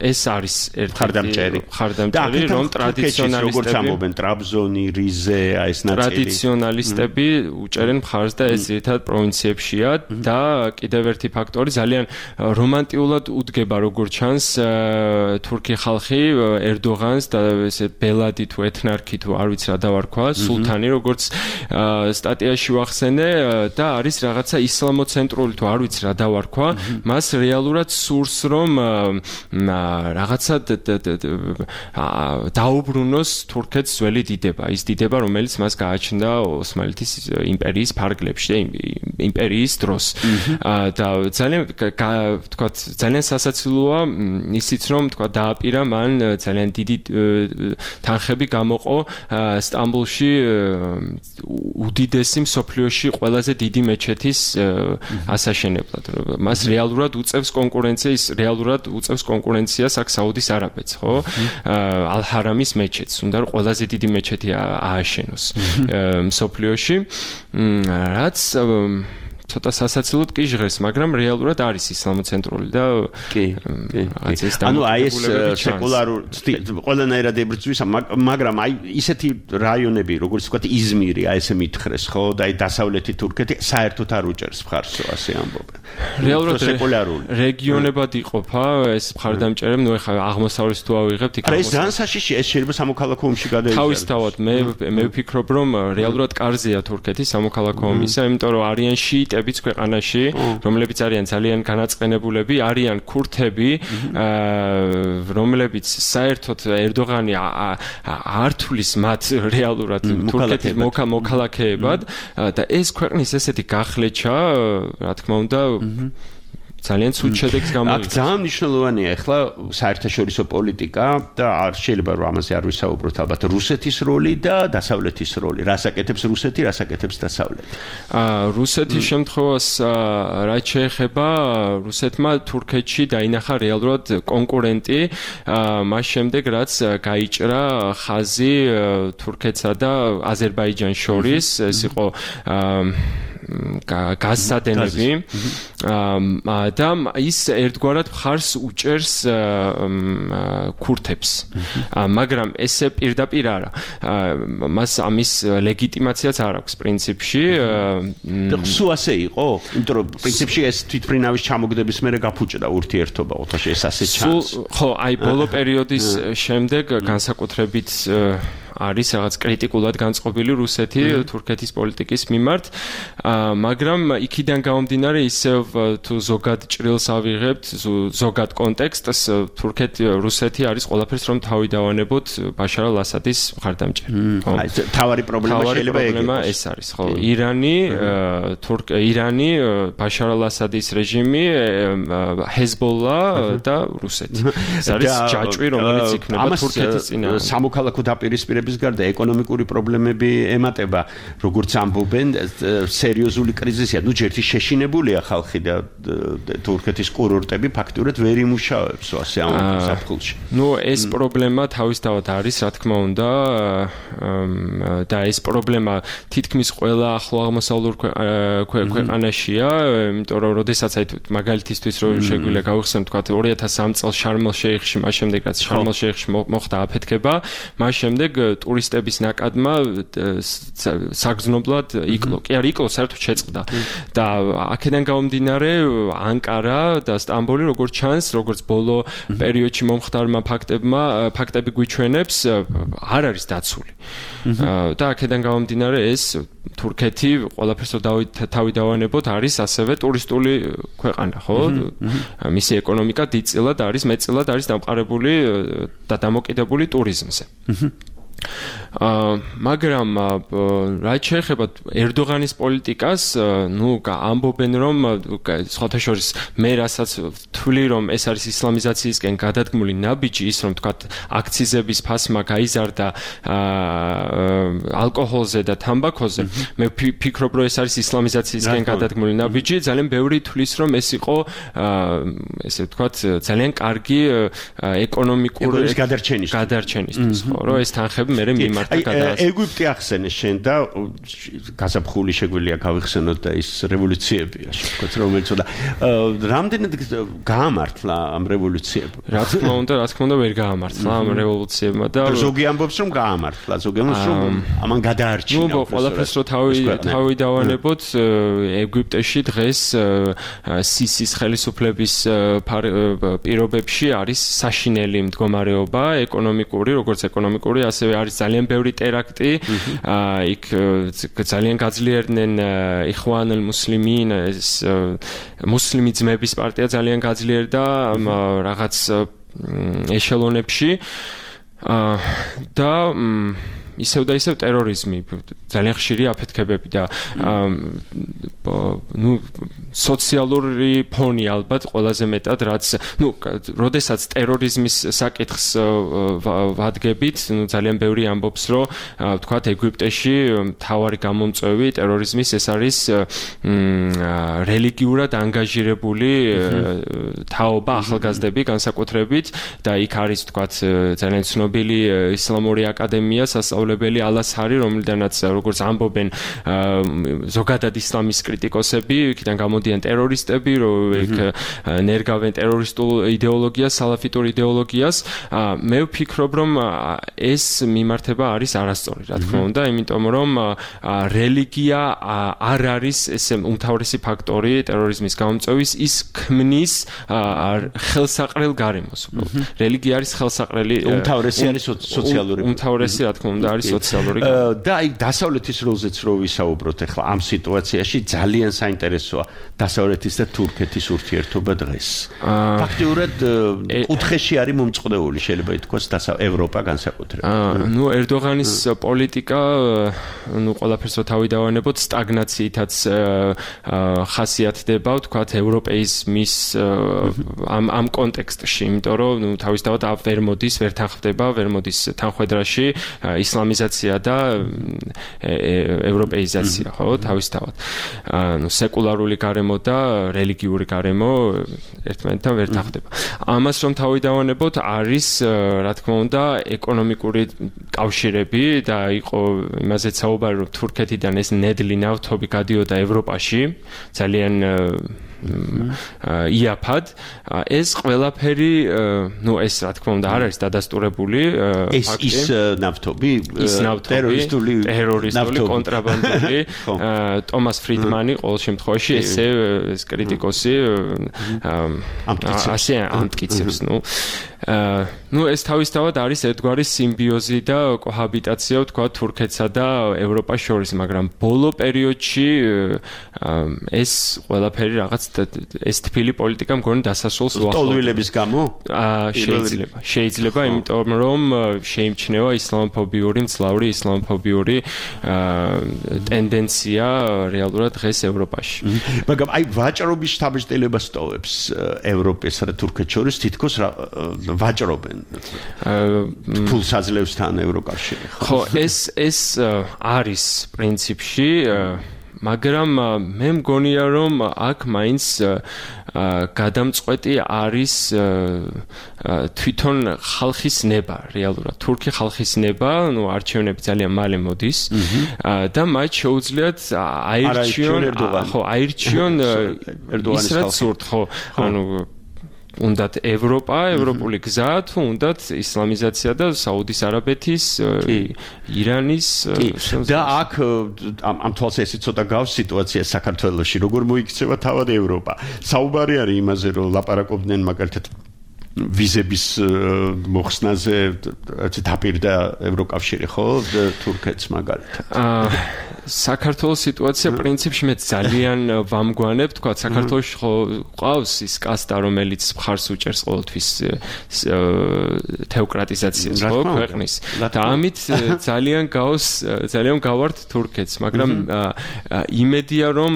ეს არის ერთი ხარდამჭერი ხარდამჭერი რომ ტრადიციონალისტები როგორც ამობენ ტრაბზონი რიზე აი ეს ნაწილი ტრადიციონალისტები უჭერენ მხარს და ეს ერთად პროვინციებშია და კიდევ ერთი ფაქტორი ძალიან რომანტიულად უდგება როგორც ჩანს თურქი ხალხი ერდოღანს და ესე ბელადი თუ ეთნარქი თუ არ ვიცი რა დავარქვა სულთანი როგორც სტატიაში ვახსენე და არის რაღაცა ისლამოცენტრული თუ არ ვიცი რა დავარქვა მას რეალურად სურს რომ რაღაცა დაუბრუნოს თურქეთს ძველი დიდება ის დიდება რომელიც მას გააჩნდა ოსმალეთის იმპერიის ფარგლებში და იმპერიის დროს და ძალიან თქვა ძალიან სასაცილოა ისიც რომ თქვა დააპირა მან ძალიან დიდი თანხები გამოყო სტამბოლში უდიდესი მსოფლიოში ყველაზე დიდი მეჩეთის ასაშენებლად. მას რეალურად უწევს კონკურენციას, რეალურად უწევს კონკურენციას აქ საუდის არაბეთს, ხო? ალ-ჰარამის მეჩეთს, უნდა რომ ყველაზე დიდი მეჩეთი ააშენოს მსოფლიოში. რაც ცოტა სასაცილოდ კი ჟღერს, მაგრამ რეალურად არის ისლამოცენტრული და კი, კი. ანუ აი ეს სეკულარულ ყველანაირად ებრძვის, მაგრამ აი ისეთი რაიონები, როგორც ვთქვათ იზმირი, აი ესე მითხრეს, ხო, და აი დასავლეთი თურქეთი საერთოდ არ უჭერს მხარს, ასე ამბობენ. რეალურად სეკულარული რეგიონებად იყოფა ეს მხარდამჭერები, ნუ ეხლა აღმოსავლეთს თუ ავიღებთ, იქ ეს ძალიან საშიშია, ეს შეიძლება სამოქალაქო ომში გადაიჭეროს. თავისთავად მე მე ვფიქრობ, რომ რეალურად კარზეა თურქეთი სამოქალაქო ომისა, იმიტომ რომ არიან შიიტები ქვეყანაში, რომლებიც არიან ძალიან განაწყენებულები, არიან ქურთები, რომლებიც საერთოდ ერდოღანი არ თulis მათ რეალურად თურქეთის მოქალაქეებად და ეს ქვეყნის ესეთი გახლეჩა, რა თქმა უნდა, ძალიან ცუდ შედეგს გამოიწვევს. აქ ძალიან მნიშვნელოვანია ახლა საერთაშორისო პოლიტიკა და არ შეიძლება რომ ამაზე არ ვისაუბროთ ალბათ რუსეთის როლი და დასავლეთის როლი. რას აკეთებს რუსეთი, რას აკეთებს დასავლეთი? აა რუსეთის შემთხვევას რაც შეეხება რუსეთმა თურქეთში დაინახა რეალურად კონკურენტი მას შემდეგ რაც გაიჭრა ხაზი თურქეთსა და აზერბაიჯანს შორის ეს იყო გაზსადენები და ის ერთგვარად მხარს უჭერს ქურთებს მაგრამ ესე პირდაპირ არა მას ამის ლეგიტიმაციაც არ აქვს პრინციპში და სულ ასე იყო იმიტომ რომ პრინციპში ეს თვითმფრინავის ჩამოგდების მერე გაფუჭდა ურთიერთობა ოთაში ეს ასე ჩანს ხო აი ბოლო პერიოდის შემდეგ განსაკუთრებით არის რაღაც კრიტიკულად განწყობილი რუსეთი თურქეთის პოლიტიკის მიმართ, მაგრამ იქიდან გამომდინარე ისევ თუ ზოგად ჭრილს ავიღებთ, ზოგად კონტექსტს, თურქეთი რუსეთი არის ყველაფერს რომ თავი დავანებოთ ბაშარ ალ-ასადის მხარდამჭერი. აი, თავარი პრობლემა შეიძლება ეგრე ეს არის, ხო. ირანი, თურქ ირანი, ბაშარ ალ-ასადის რეჟიმი, ჰეზბოლა და რუსეთი. ეს არის ჯაჭვი, რომელიც იქნება თურქეთის წინააღმდეგ. სამოქალაქო დაპირისპირება ის გარდა ეკონომიკური პრობლემები ემატება, როგორც ამბობენ, სერიოზული კრიზისია. ნუ ჯერთი შეშინებულია ხალხი და თურქეთის კურორტები ფაქტურად ვერ იმუშავებს ასე ამ საფხულში. ნუ ეს პრობლემა თავისთავად არის, რა თქმა უნდა, და ეს პრობლემა თითქმის ყველა ახლო აღმოსავლურ ქვეყანაშია, იმიტომ რომ როდესაც აი მაგალითისთვის რომ შეგვიძლია გავიხსენოთ, თქვა ორი ათას სამი წელს შარმელ-შეიხში, მას შემდეგ რაც შარმელ-შეიხში მოხდა აფეთქება, მას შემდეგ ტურისტების ნაკადმა საგრძნობლად იკლო. კი არ იკლო, საერთოდ შეწყდა. და აქედან გამომდინარე ანკარა და სტამბოლი როგორც ჩანს, როგორც ბოლო პერიოდში მომხდარმა ფაქტებმა, ფაქტები გვიჩვენებს, არ არის დაცული. და აქედან გამომდინარე ეს თურქეთი ყველაფერს თავი დავანებოთ არის ასევე ტურისტული ქვეყანა, ხო? მისი ეკონომიკა დიდწილად არის, მეტწილად არის დამყარებული და დამოკიდებული ტურიზმზე. მაგრამ რაც შეეხება ერდოღანის პოლიტიკას, ნუ ამბობენ რომ სხვათა შორის მე რასაც თვლი რომ ეს არის ისლამიზაციისკენ გადადგმული ნაბიჯი, ის რომ თქვათ აქციზების ფასმა გაიზარდა ალკოჰოლზე და თამბაქოზე, მე ვფიქრობ რომ ეს არის ისლამიზაციისკენ გადადგმული ნაბიჯი, ძალიან ბევრი თვლის რომ ეს იყო ესე ვთქვათ ძალიან კარგი ეკონომიკური გადარჩენისთვის, ხო, რომ ეს თანხები მე მიმართა გადაასწრა. ეგვიპტე ახსენე შენ და გაზაფხული შეგვიძლია გავიხსენოთ და ის რევოლუციები, ასე ვთქვათ, რომელიც და რამდენად გაამართლა ამ რევოლუციებმა? რა თქმა უნდა, რა თქმა უნდა ვერ გაამართლა ამ რევოლუციებმა და ზოგი ამბობს რომ გაამართლა, ზოგი ამბობს რომ ამან გადაარჩინა. ნუ ყველაფერს რო თავი თავი დავანებოთ, ეგვიპტეში დღეს სისის ხელისუფლების პირობებში არის საშინელი მდგომარეობა, ეკონომიკური, როგორც ეკონომიკური, ასევე არის ძალიან ბევრი ტერაქტი, იქ ძალიან გაძლიერდნენ იხვანელ მუსლიმინ, ეს მუსლიმი ძმების პარტია ძალიან გაძლიერდა რაღაც ეშელონებში და ისევ და ისევ ტერორიზმი, ძალიან ხშირი აფეთქებები და ნუ სოციალური ფონი ალბათ ყველაზე მეტად, რაც ნუ როდესაც ტერორიზმის საკითხს ვადგებით, ნუ ძალიან ბევრი ამბობს, რომ ვთქვათ ეგვიპტეში მთავარი გამომწვევი ტერორიზმის ეს არის რელიგიურად ანგაჟირებული თაობა, ახალგაზრდები განსაკუთრებით და იქ არის ვთქვათ ძალიან ცნობილი ისლამური აკადემია სასწავლებელი ალასჰარი, რომლიდანაც როგორც ამბობენ ზოგადად ისლამის კრიტიკოსები, იქიდან გამოდიან ტერორისტები, რომ იქ ნერგავენ ტერორისტულ იდეოლოგიას, სალაფიტურ იდეოლოგიას. მე ვფიქრობ, რომ ეს მიმართება არის არასწორი, რა თქმა უნდა, იმიტომ რომ რელიგია არ არის ესე უმთავრესი ფაქტორი ტერორიზმის გამომწვევის, ის ქმნის ხელსაყრელ გარემოს. რელიგია არის ხელსაყრელი, უმთავრესი არის სოციალური, უმთავრესი რა თქმა უნდა არის სოციალური. და აი დასავლეთის როლზეც რო ვისაუბროთ ახლა ამ სიტუაციაში ძალიან საინტერესოა დასავლეთის და თურქეთის ურთიერთობა დღეს. ფაქტიურად კუთხეში არის მომწყდეული, შეიძლება ითქვას ევროპა განსაკუთრებით. ნუ ერდოღანის პოლიტიკა, ნუ ყველაფერს თავი დავანებოთ, სტაგნაციითაც ხასიათდება, ვთქვათ, ევროპეიზმის ამ ამ კონტექსტში, იმიტომ რომ ნუ თავისთავად ვერ მოდის, ვერ თანხდება, ვერ მოდის თანხwebdriverში ისლამიზაცია და ევროპეიზაცია, ხო, თავისთავად. ნუ სეკულარული გარემო და რელიგიური გარემო ერთმანეთთან ვერ თანხდება. ამას რომ თავი დავანებოთ, არის რა თქმა უნდა ეკონომიკური კავშირები და იყო იმაზე საუბარი, რომ თურქეთიდან ეს ნედლი ნავთობი გადიოდა ევროპაში, ძალიან იაფად. ეს ყველაფერი, ნუ ეს რა თქმა უნდა არ არის დადასტურებული ეს ის ნავთობი, ტერორისტული ტერორისტული კონტრაბანდული. ტომას ფრიდმანი ყოველ შემთხვევაში ესე ეს კრიტიკოსი ასე ამტკიცებს, ნუ ნუ ეს თავისთავად არის ერთგვარი სიმბიოზი და კოჰაბიტაცია, თქვა თურქეთსა და ევროპას შორის, მაგრამ ბოლო პერიოდში ეს ყველაფერი რაღაც ეს თბილი პოლიტიკა მგონი დასასრულს უახლოვდება. სტოლვილების გამო? შეიძლება. შეიძლება, იმიტომ რომ შეიმჩნევა ისლამოფობიური, მძლავრი ისლამოფობიური ტენდენცია რეალურად დღეს ევროპაში. მაგრამ აი ვაჭრობის შთაბეჭდილებას ტოვებს ევროპასა და თურქეთს შორის, თითქოს ვაჭრობენ ფულს აძლევსთან ევროკავშირი. ხო, ეს ეს არის პრინციპში, მაგრამ მე მგონია რომ აქ მაინც გადამწყვეტი არის თვითონ ხალხის ნება, რეალურად თურქი ხალხის ნება, ნუ არჩევნები ძალიან მალე მოდის და მათ შეუძლიათ აირჩიონ, ხო, აირჩიონ ის რაც სურთ, ხო, ანუ უნდათ ევროპა, ევროპული გზა, თუ უნდათ ისლამიზაცია და საუდის არაბეთის, ირანის და აქ ამ თვალს ესე ცოტა გავს სიტუაცია საქართველოში, როგორ მოიქცევა თავად ევროპა. საუბარი არის იმაზე, რომ ლაპარაკობდნენ მაგალითად ვიზების მოხსნაზე, დაპირდა ევროკავშირი, ხო, თურქეთს მაგალითად. საქართველოს სიტუაცია პრინციპში მე ძალიან ვამგვანებ, თქვა საქართველოში ხო ყავს ის კასტა, რომელიც მხარს უჭერს ყოველთვის თეოკრატიზაციას ხო ქვეყნის. და ამით ძალიან გავს ძალიან გავართ თურქეთს, მაგრამ იმედია რომ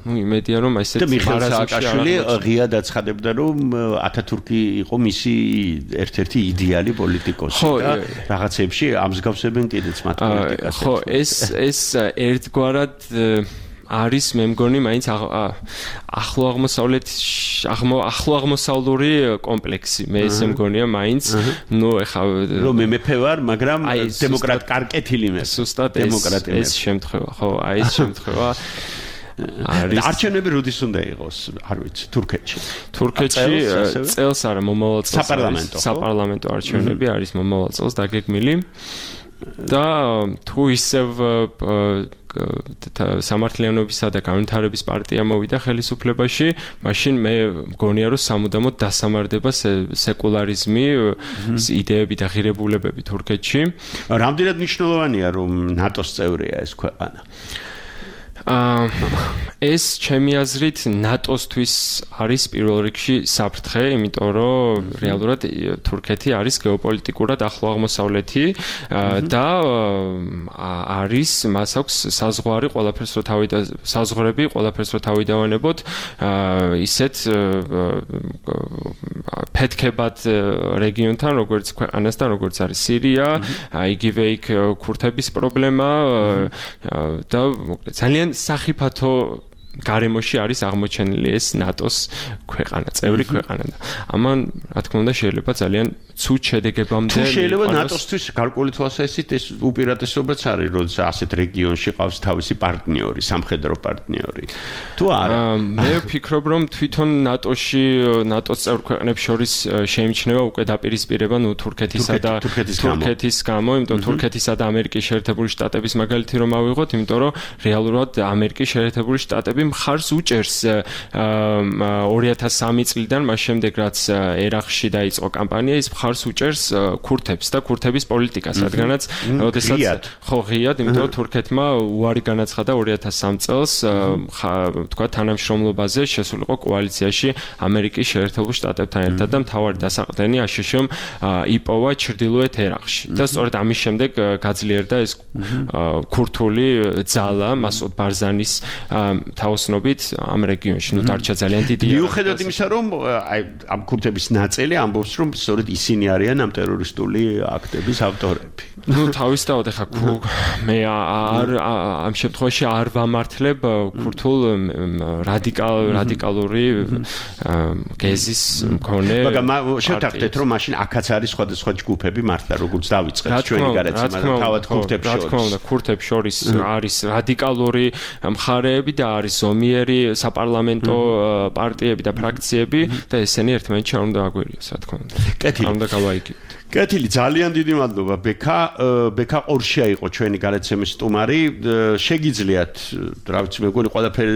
ну იმედია რომ ესეც მიხეილ სააკაშვილი ღიად აცხადებდა რომ ათათურქი იყო მისი ერთ-ერთი იდეალი პოლიტიკოსი და რაღაცებში ამსგავსებენ კიდეც მათ პოლიტიკას. ხო, ეს ეს ერთგვარად არის მე მგონი მაინც ახლო აღმოსავლეთ ახლო აღმოსავლური კომპლექსი მე ესე მგონია მაინც ნუ ეხა რომ მე მეფე ვარ მაგრამ დემოკრატ კარკეთილი მე სუსტად ეს შემთხვევა ხო აი ეს შემთხვევა არის არჩევნები როდის უნდა იყოს არ ვიცი თურქეთში თურქეთში წელს არა მომავალ წელს საპარლამენტო საპარლამენტო არჩევნები არის მომავალ წელს დაგეგმილი და თუ ისევ სამართლიანობისა და განვითარების პარტია მოვიდა ხელისუფლებაში, მაშინ მე მგონია რომ სამუდამოდ დასამარდება სეკულარიზმი, იდეები და ღირებულებები თურქეთში. რამდენად მნიშვნელოვანია რომ ნატოს წევრია ეს ქვეყანა? ეს ჩემი აზრით ნატოსთვის არის პირველ რიგში საფრთხე, იმიტომ რომ რეალურად თურქეთი არის გეოპოლიტიკურად ახლო აღმოსავლეთი და არის მას აქვს საზღვარი ყველაფერს რო თავი და საზღვრები ყველაფერს რო თავი დავანებოთ ისეთ ფეთქებად რეგიონთან როგორც ქვეყანასთან როგორც არის სირია, იგივე იქ ქურთების პრობლემა და ძალიან სახიფათო გარემოში არის აღმოჩენილი ეს ნატოს ქვეყანა, წევრი ქვეყანა და ამან რა თქმა უნდა შეიძლება ძალიან ცუდ შედეგებამდე თუ შეიძლება ნატოსთვის გარკვეული თვალსაზრისით ეს უპირატესობაც არის, როცა ასეთ რეგიონში ყავს თავისი პარტნიორი, სამხედრო პარტნიორი. თუ არა, მე ვფიქრობ რომ თვითონ ნატოში ნატოს წევრ ქვეყნებს შორის შეიმჩნევა უკვე დაპირისპირება ნუ თურქეთისა და თურქეთის გამო, იმიტომ თურქეთისა და ამერიკის შეერთებული შტატების მაგალითი რომ ავიღოთ, იმიტომ რომ რეალურად ამერიკის შეერთებული შტატები მხარს უჭერს ორი ათას სამი წლიდან მას შემდეგ რაც ერაყში დაიწყო კამპანია ის მხარს უჭერს ქურთებს და ქურთების პოლიტიკას, რადგანაც ოდესაც ხო ღიად, იმიტომ რომ თურქეთმა უარი განაცხადა ორი ათას სამი წელს თქვა თანამშრომლობაზე შესულიყო კოალიციაში ამერიკის შეერთებულ შტატებთან ერთად და მთავარი დასაყრდენი აშშ-მ იპოვა ჩრდილოეთ ერაყში და სწორედ ამის შემდეგ გაძლიერდა ეს ქურთული ძალა მასუდ ბარზანის თაოსნობით ამ რეგიონში, ნუ დარჩა ძალიან დიდი. მიუხედავად იმისა, რომ აი ამ ქურთების ნაწილი ამბობს, რომ სწორედ ისინი არიან ამ ტერორისტული აქტების ავტორები. ნუ თავისთავად ეხა მე არ ამ შემთხვევაში არ ვამართლებ ქურთულ რადიკალ რადიკალური გეზის მქონე. მაგრამ შევთანხმდეთ, რომ მაშინ აქაც არის სხვადასხვა ჯგუფები მართლა, როგორც დავიწყეთ ჩვენი გარეთ, მაგრამ თავად ქურთებს შორის. რა თქმა უნდა, ქურთებს შორის არის რადიკალური მხარეები და არის ზომიერი საპარლამენტო პარტიები და ფრაქციები და ესენი ერთმანეთში არ უნდა აგვერიოს, რა თქმა უნდა. კეთილი. არ უნდა გავაიგოთ. კეთილი, ძალიან დიდი მადლობა ბექა. ბექა ყორშია იყო ჩვენი გარეთცემის სტუმარი. შეგიძლიათ, რა ვიცი, მე მგონი ყველაფერი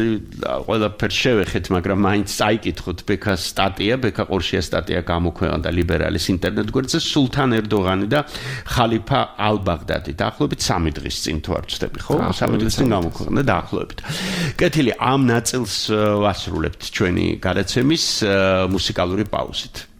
ყველაფერს შევეხეთ, მაგრამ მაინც წაიკითხოთ ბექას სტატია, ბექა ყორშია სტატია გამოქვეყნდა ლიბერალის ინტერნეტ გვერდზე სულთან ერდოღანი და ხალიფა ალ-ბაღდადი. დაახლოებით სამი დღის წინ თუ არ ვცდები, ხო? სამი დღის წინ გამოქვეყნდა დაახლოებით. კეთილი, ამ ნაწილს ვასრულებთ ჩვენი გარეთცემის მუსიკალური პაუზით.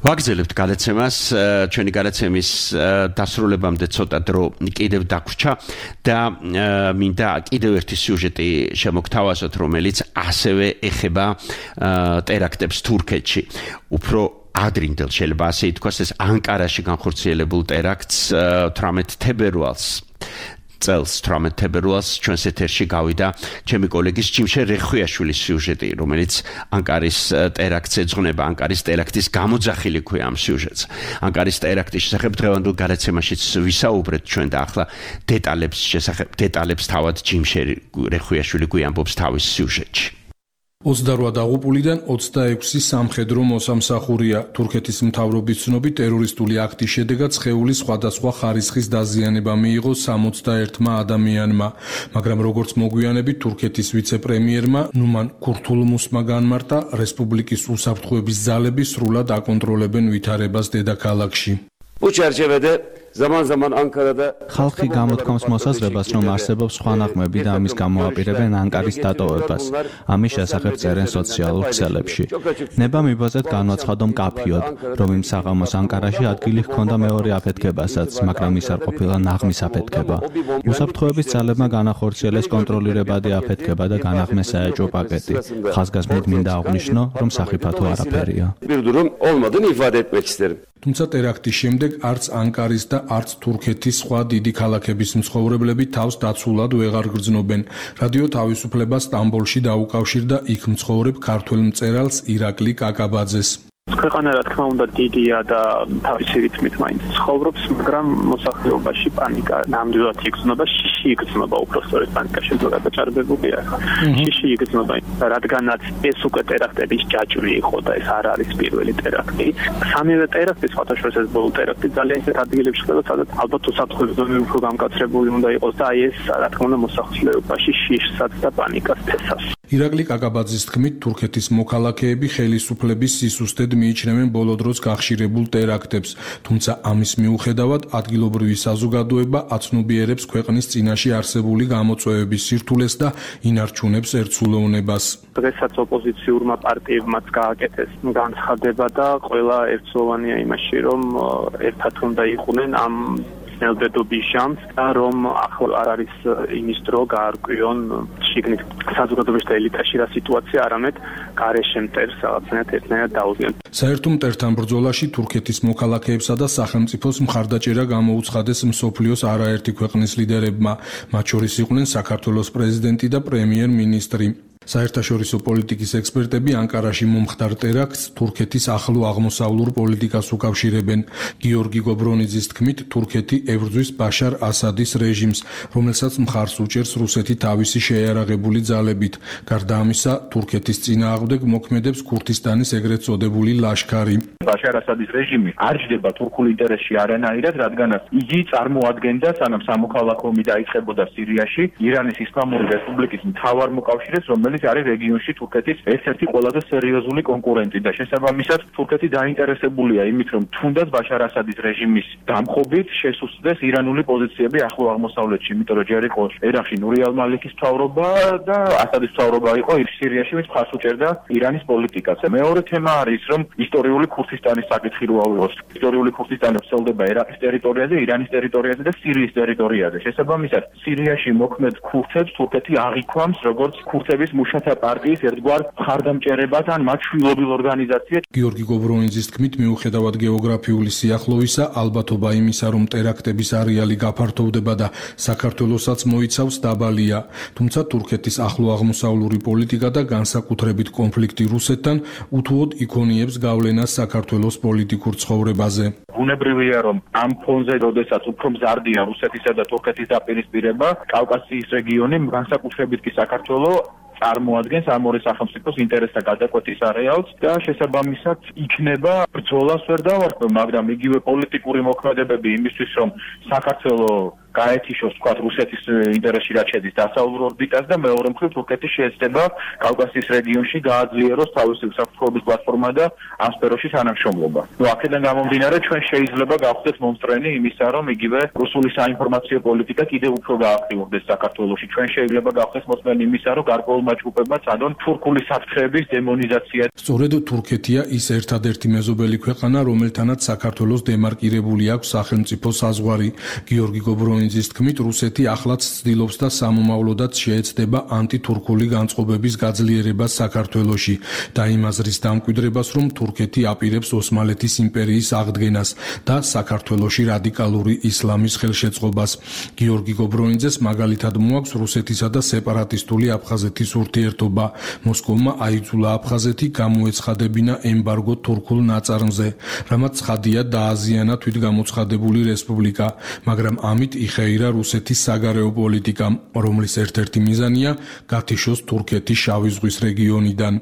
ვაგრძელებთ გადაცემას, ჩვენი გადაცემის დასრულებამდე ცოტა დრო კიდევ დაგვრჩა და მინდა კიდევ ერთი სიუჟეტი შემოგთავაზოთ, რომელიც ასევე ეხება ტერაქტებს თურქეთში. უფრო ადრინდელ შეიძლება ასე ითქვას, ეს ანკარაში განხორციელებულ ტერაქტს თვრამეტ თებერვალს წელს თვრამეტ თებერვალს ჩვენს ეთერში გავიდა ჩემი კოლეგის ჯიმშე რეხვიაშვილის სიუჟეტი, რომელიც ანკარის ტერაქტს ეძღვნება, ანკარის ტერაქტის გამოძახილი ქვია ამ სიუჟეტს. ანკარის ტერაქტის შესახებ დღევანდელ გადაცემაშიც ვისაუბრეთ ჩვენ და ახლა დეტალებს შესახებ დეტალებს თავად ჯიმშე რეხვიაშვილი გვიამბობს თავის სიუჟეტში. ოცდარვა დაღუპულიდან ოცდაექვსი სამხედრო მოსამსახურეა. თურქეთის მთავრობის ცნობით ტერორისტული აქტის შედეგად სხეულის სხვადასხვა ხარისხის დაზიანება მიიღო სამოცდაერთმა ადამიანმა, მაგრამ როგორც მოგვიანებით თურქეთის ვიცე-პრემიერმა ნუმან ქურთულმუსმა განმარტა, რესპუბლიკის უსაფრთხოების ძალები სრულად აკონტროლებენ ვითარებას დედაქალაქში. ხალხი გამოთქვამს მოსაზრებას, რომ არსებობს სხვა ნაღმები და ამის გამოაპირებენ ანკარის დატოვებას. ამის შესახებ წერენ სოციალურ ქსელებში. ნება მიბაზეთ განვაცხადო მკაფიოდ, რომ იმ საღამოს ანკარაში ადგილი ჰქონდა მეორე აფეთქებასაც, მაგრამ ის არ ყოფილა ნაღმის აფეთქება. უსაფრთხოების ძალებმა განახორციელეს კონტროლირებადი აფეთქება და განაღმეს საეჭვო პაკეტი. ხაზგასმით მინდა აღვნიშნო, რომ სახიფათო არაფერია. თუმცა ტერაქტის შემდეგ არც ანკარის და არც თურქეთის სხვა დიდი ქალაქების მცხოვრებლები თავს დაცულად ვეღარ გრძნობენ. რადიო თავისუფლება სტამბოლში დაუკავშირდა იქ მცხოვრებ ქართველ მწერალს ირაკლი კაკაბაძეს. ქვეყანა რა თქმა უნდა დიდია და თავისი რითმით მაინც ცხოვრობს, მაგრამ მოსახლეობაში პანიკა ნამდვილად იგრძნობა, შიში იგრძნობა, უბრალოდ პანიკა შეიძლება გადაჭარბებულია. შიში იგრძნობა, რადგანაც ეს უკვე ტერაქტების ჯაჭვი იყო და ეს არ არის პირველი ტერაქტი. სამივე ტერაქტი, სხვადასხვა ეს ბოლო ტერაქტი ძალიან ისეთ ადგილებში ხდება, სადაც ალბათ უსაფრთხოების ზონები უფრო გამკაცრებული უნდა იყოს და აი ეს რა თქმა უნდა მოსახლეობაში შიშსაც და პანიკას თესავს. ირაკლი კაკაბაძის თქმით, თურქეთის მოქალაქეები ხელისუფლების სისუსტედ მიიჩნევენ ბოლო დროს გახშირებულ ტერაქტებს, თუმცა ამის მიუხედავად ადგილობრივი საზოგადოება აცნობიერებს ქვეყნის წინაშე არსებული გამოწვევების სირთულეს და ინარჩუნებს ერთსულოვნებას. დღესაც ოპოზიციურმა პარტიებმაც გააკეთეს განცხადება და ყველა ერთსულოვანია იმაში, რომ ერთად უნდა იყვნენ ამ ნელბედობის ჟამს და რომ ახლა არ არის იმის დრო გაარკვიონ შიგნით საზოგადოებაში და ელიტაში რა სიტუაცია, არამედ გარეშე მტერს რაღაცნაირად ერთნაირად დაუზიანონ. საერთო მტერთან ბრძოლაში თურქეთის მოქალაქეებსა და სახელმწიფოს მხარდაჭერა გამოუცხადეს მსოფლიოს არაერთი ქვეყნის ლიდერებმა, მათ შორის იყვნენ საქართველოს პრეზიდენტი და პრემიერ-მინისტრი. საერთაშორისო პოლიტიკის ექსპერტები ანკარაში მომხდარ ტერაქტს თურქეთის ახლო აღმოსავლურ პოლიტიკას უკავშირებენ. გიორგი გობრონიძის თქმით, თურქეთი ებრძვის ბაშარ ასადის რეჟიმს, რომელსაც მხარს უჭერს რუსეთი თავისი შეიარაღებული ძალებით. გარდა ამისა, თურქეთის წინააღმდეგ მოქმედებს ქურთისტანის ეგრეთ წოდებული ლაშქარი. ბაშარ ასადის რეჟიმი არ ჯდება თურქულ ინტერესში არანაირად, რადგანაც იგი წარმოადგენდა, სანამ სამოქალაქო ომი დაიწყებოდა სირიაში, ირანის ისლამური რესპუბლიკის მთავარ მოკავშირეს, რომელიც არის რეგიონში თურქეთის ერთ-ერთი ყველაზე სერიოზული კონკურენტი და შესაბამისად თურქეთი დაინტერესებულია იმით, რომ თუნდაც ბაშარ ასადის რეჟიმის დამხობით შესუსტდეს ირანული პოზიციები ახლო აღმოსავლეთში, იმიტომ რომ ჯერ იყო ერაყში ნური ალ-მალიქის მთავრობა და ასადის მთავრობა იყო სირიაში, ვინც მხარს უჭერდა ირანის პოლიტიკას. მეორე თემა არის, რომ ისტორიული ქურთისტანის საკითხი რო ავიღოს. ისტორიული ქურთისტანი ვრცელდება ერაყის ტერიტორიაზე, ირანის ტერიტორიაზე და სირიის ტერიტორიაზე. შესაბამისად, სირიაში მოქმედ ქურთებს თურქეთი აღიქვამს როგორც ქურთების მუშათა პარტიის ერთგვარ მხარდამჭერებას ან მათ შვილობილ ორგანიზაციას. გიორგი გობრონიძის თქმით, მიუხედავად გეოგრაფიული სიახლოვისა, ალბათობა იმისა, რომ ტერაქტების არეალი გაფართოვდება და საქართველოსაც მოიცავს, დაბალია. თუმცა თურქეთის ახლო აღმოსავლური პოლიტიკა და განსაკუთრებით კონფლიქტი რუსეთთან უთუოდ იქონიებს გავლენას საქართველოს პოლიტიკურ ცხოვრებაზე. ბუნებრივია, რომ ამ ფონზე, როდესაც უფრო მზარდია რუსეთისა და თურქეთის დაპირისპირება, კავკასიის რეგიონი, განსაკუთრებით კი საქართველო წარმოადგენს ამ ორი სახელმწიფოს ინტერესთა გადაკვეთის არეალს და შესაბამისად იქნება ბრძოლას ვერ დავარქვე, მაგრამ იგივე პოლიტიკური მოქმედებები იმისთვის, რომ საქართველო გაეთიშოს თქვა რუსეთის ინტერესში რაც შედის დასავლურ ორბიტას და მეორე მხრივ თურქეთი შეეცდება კავკასიის რეგიონში გააძლიეროს თავისი უსაფრთხოების პლატფორმა და ამ სფეროში თანამშრომლობა. ნუ აქედან გამომდინარე ჩვენ შეიძლება გავხდეთ მომსწრენი იმისა, რომ იგივე რუსული საინფორმაციო პოლიტიკა კიდევ უფრო გააქტიურდეს საქართველოში. ჩვენ შეიძლება გავხდეთ მომსწრენი იმისა, რომ გარკვეულმა ჯგუფებმა წადონ თურქული საფრთხეების დემონიზაცია. სწორედ თურქეთია ის ერთადერთი მეზობელი ქვეყანა, რომელთანაც საქართველოს დემარკირებული აქვს სახელმწიფო საზღვარი. გიორგი გობრონიძის თქმით, რუსეთი ახლაც ცდილობს და სამომავლოდაც შეეცდება ანტითურქული განწყობების გაძლიერებას საქართველოში და იმ აზრის დამკვიდრებას, რომ თურქეთი აპირებს ოსმალეთის იმპერიის აღდგენას და საქართველოში რადიკალური ისლამის ხელშეწყობას. გიორგი გობრონიძეს მაგალითად მოაქვს რუსეთისა და სეპარატისტული აფხაზეთის ურთიერთობა. მოსკოვმა აიძულა აფხაზეთი გამოეცხადებინა ემბარგო თურქულ ნაწარმზე, რამაც ცხადია დააზიანა თვითგამოცხადებული რესპუბლიკა, მაგრამ ამით იხეირა რუსეთის საგარეო პოლიტიკა, რომლის ერთ-ერთი მიზანია გათიშოს თურქეთი შავი ზღვის რეგიონიდან.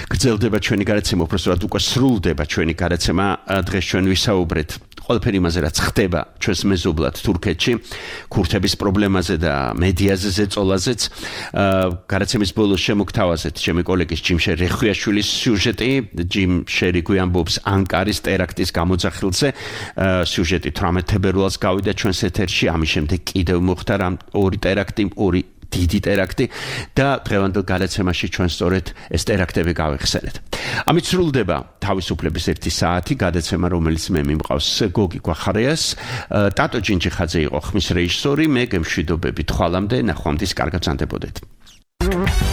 გრძელდება ჩვენი გადაცემა, უბრალოდ უკვე სრულდება ჩვენი გადაცემა. დღეს ჩვენ ვისაუბრეთ ყველაფერი იმაზე, რაც ხდება ჩვენს მეზობლად თურქეთში, ქურთების პრობლემაზე და მედიაზე ზეწოლაზეც. გადაცემის ბოლოს შემოგთავაზეთ ჩემი კოლეგის ჯიმშერ რეხვიაშვილის სიუჟეტი. ჯიმშერი გვიამბობს ანკარის ტერაქტის გამოძახილზე. სიუჟეტი თვრამეტ თებერვალს გავიდა ჩვენს ეთერში, ამის შემდეგ კიდევ მოხდა ორი ტერაქტი, ორი დიდი ტერაქტი და დღევანდელ გადაცემაში ჩვენ სწორედ ეს ტერაქტები გავიხსენეთ. ამით სრულდება თავისუფლების ერთი საათი გადაცემა, რომელიც მე მიმყავს გოგი გვახარიას, ტატო ჯინჯიხაძე იყო ხმის რეჟისორი, მე გემშვიდობებით ხვალამდე, ნახვამდის კარგად ვზანდებოდეთ.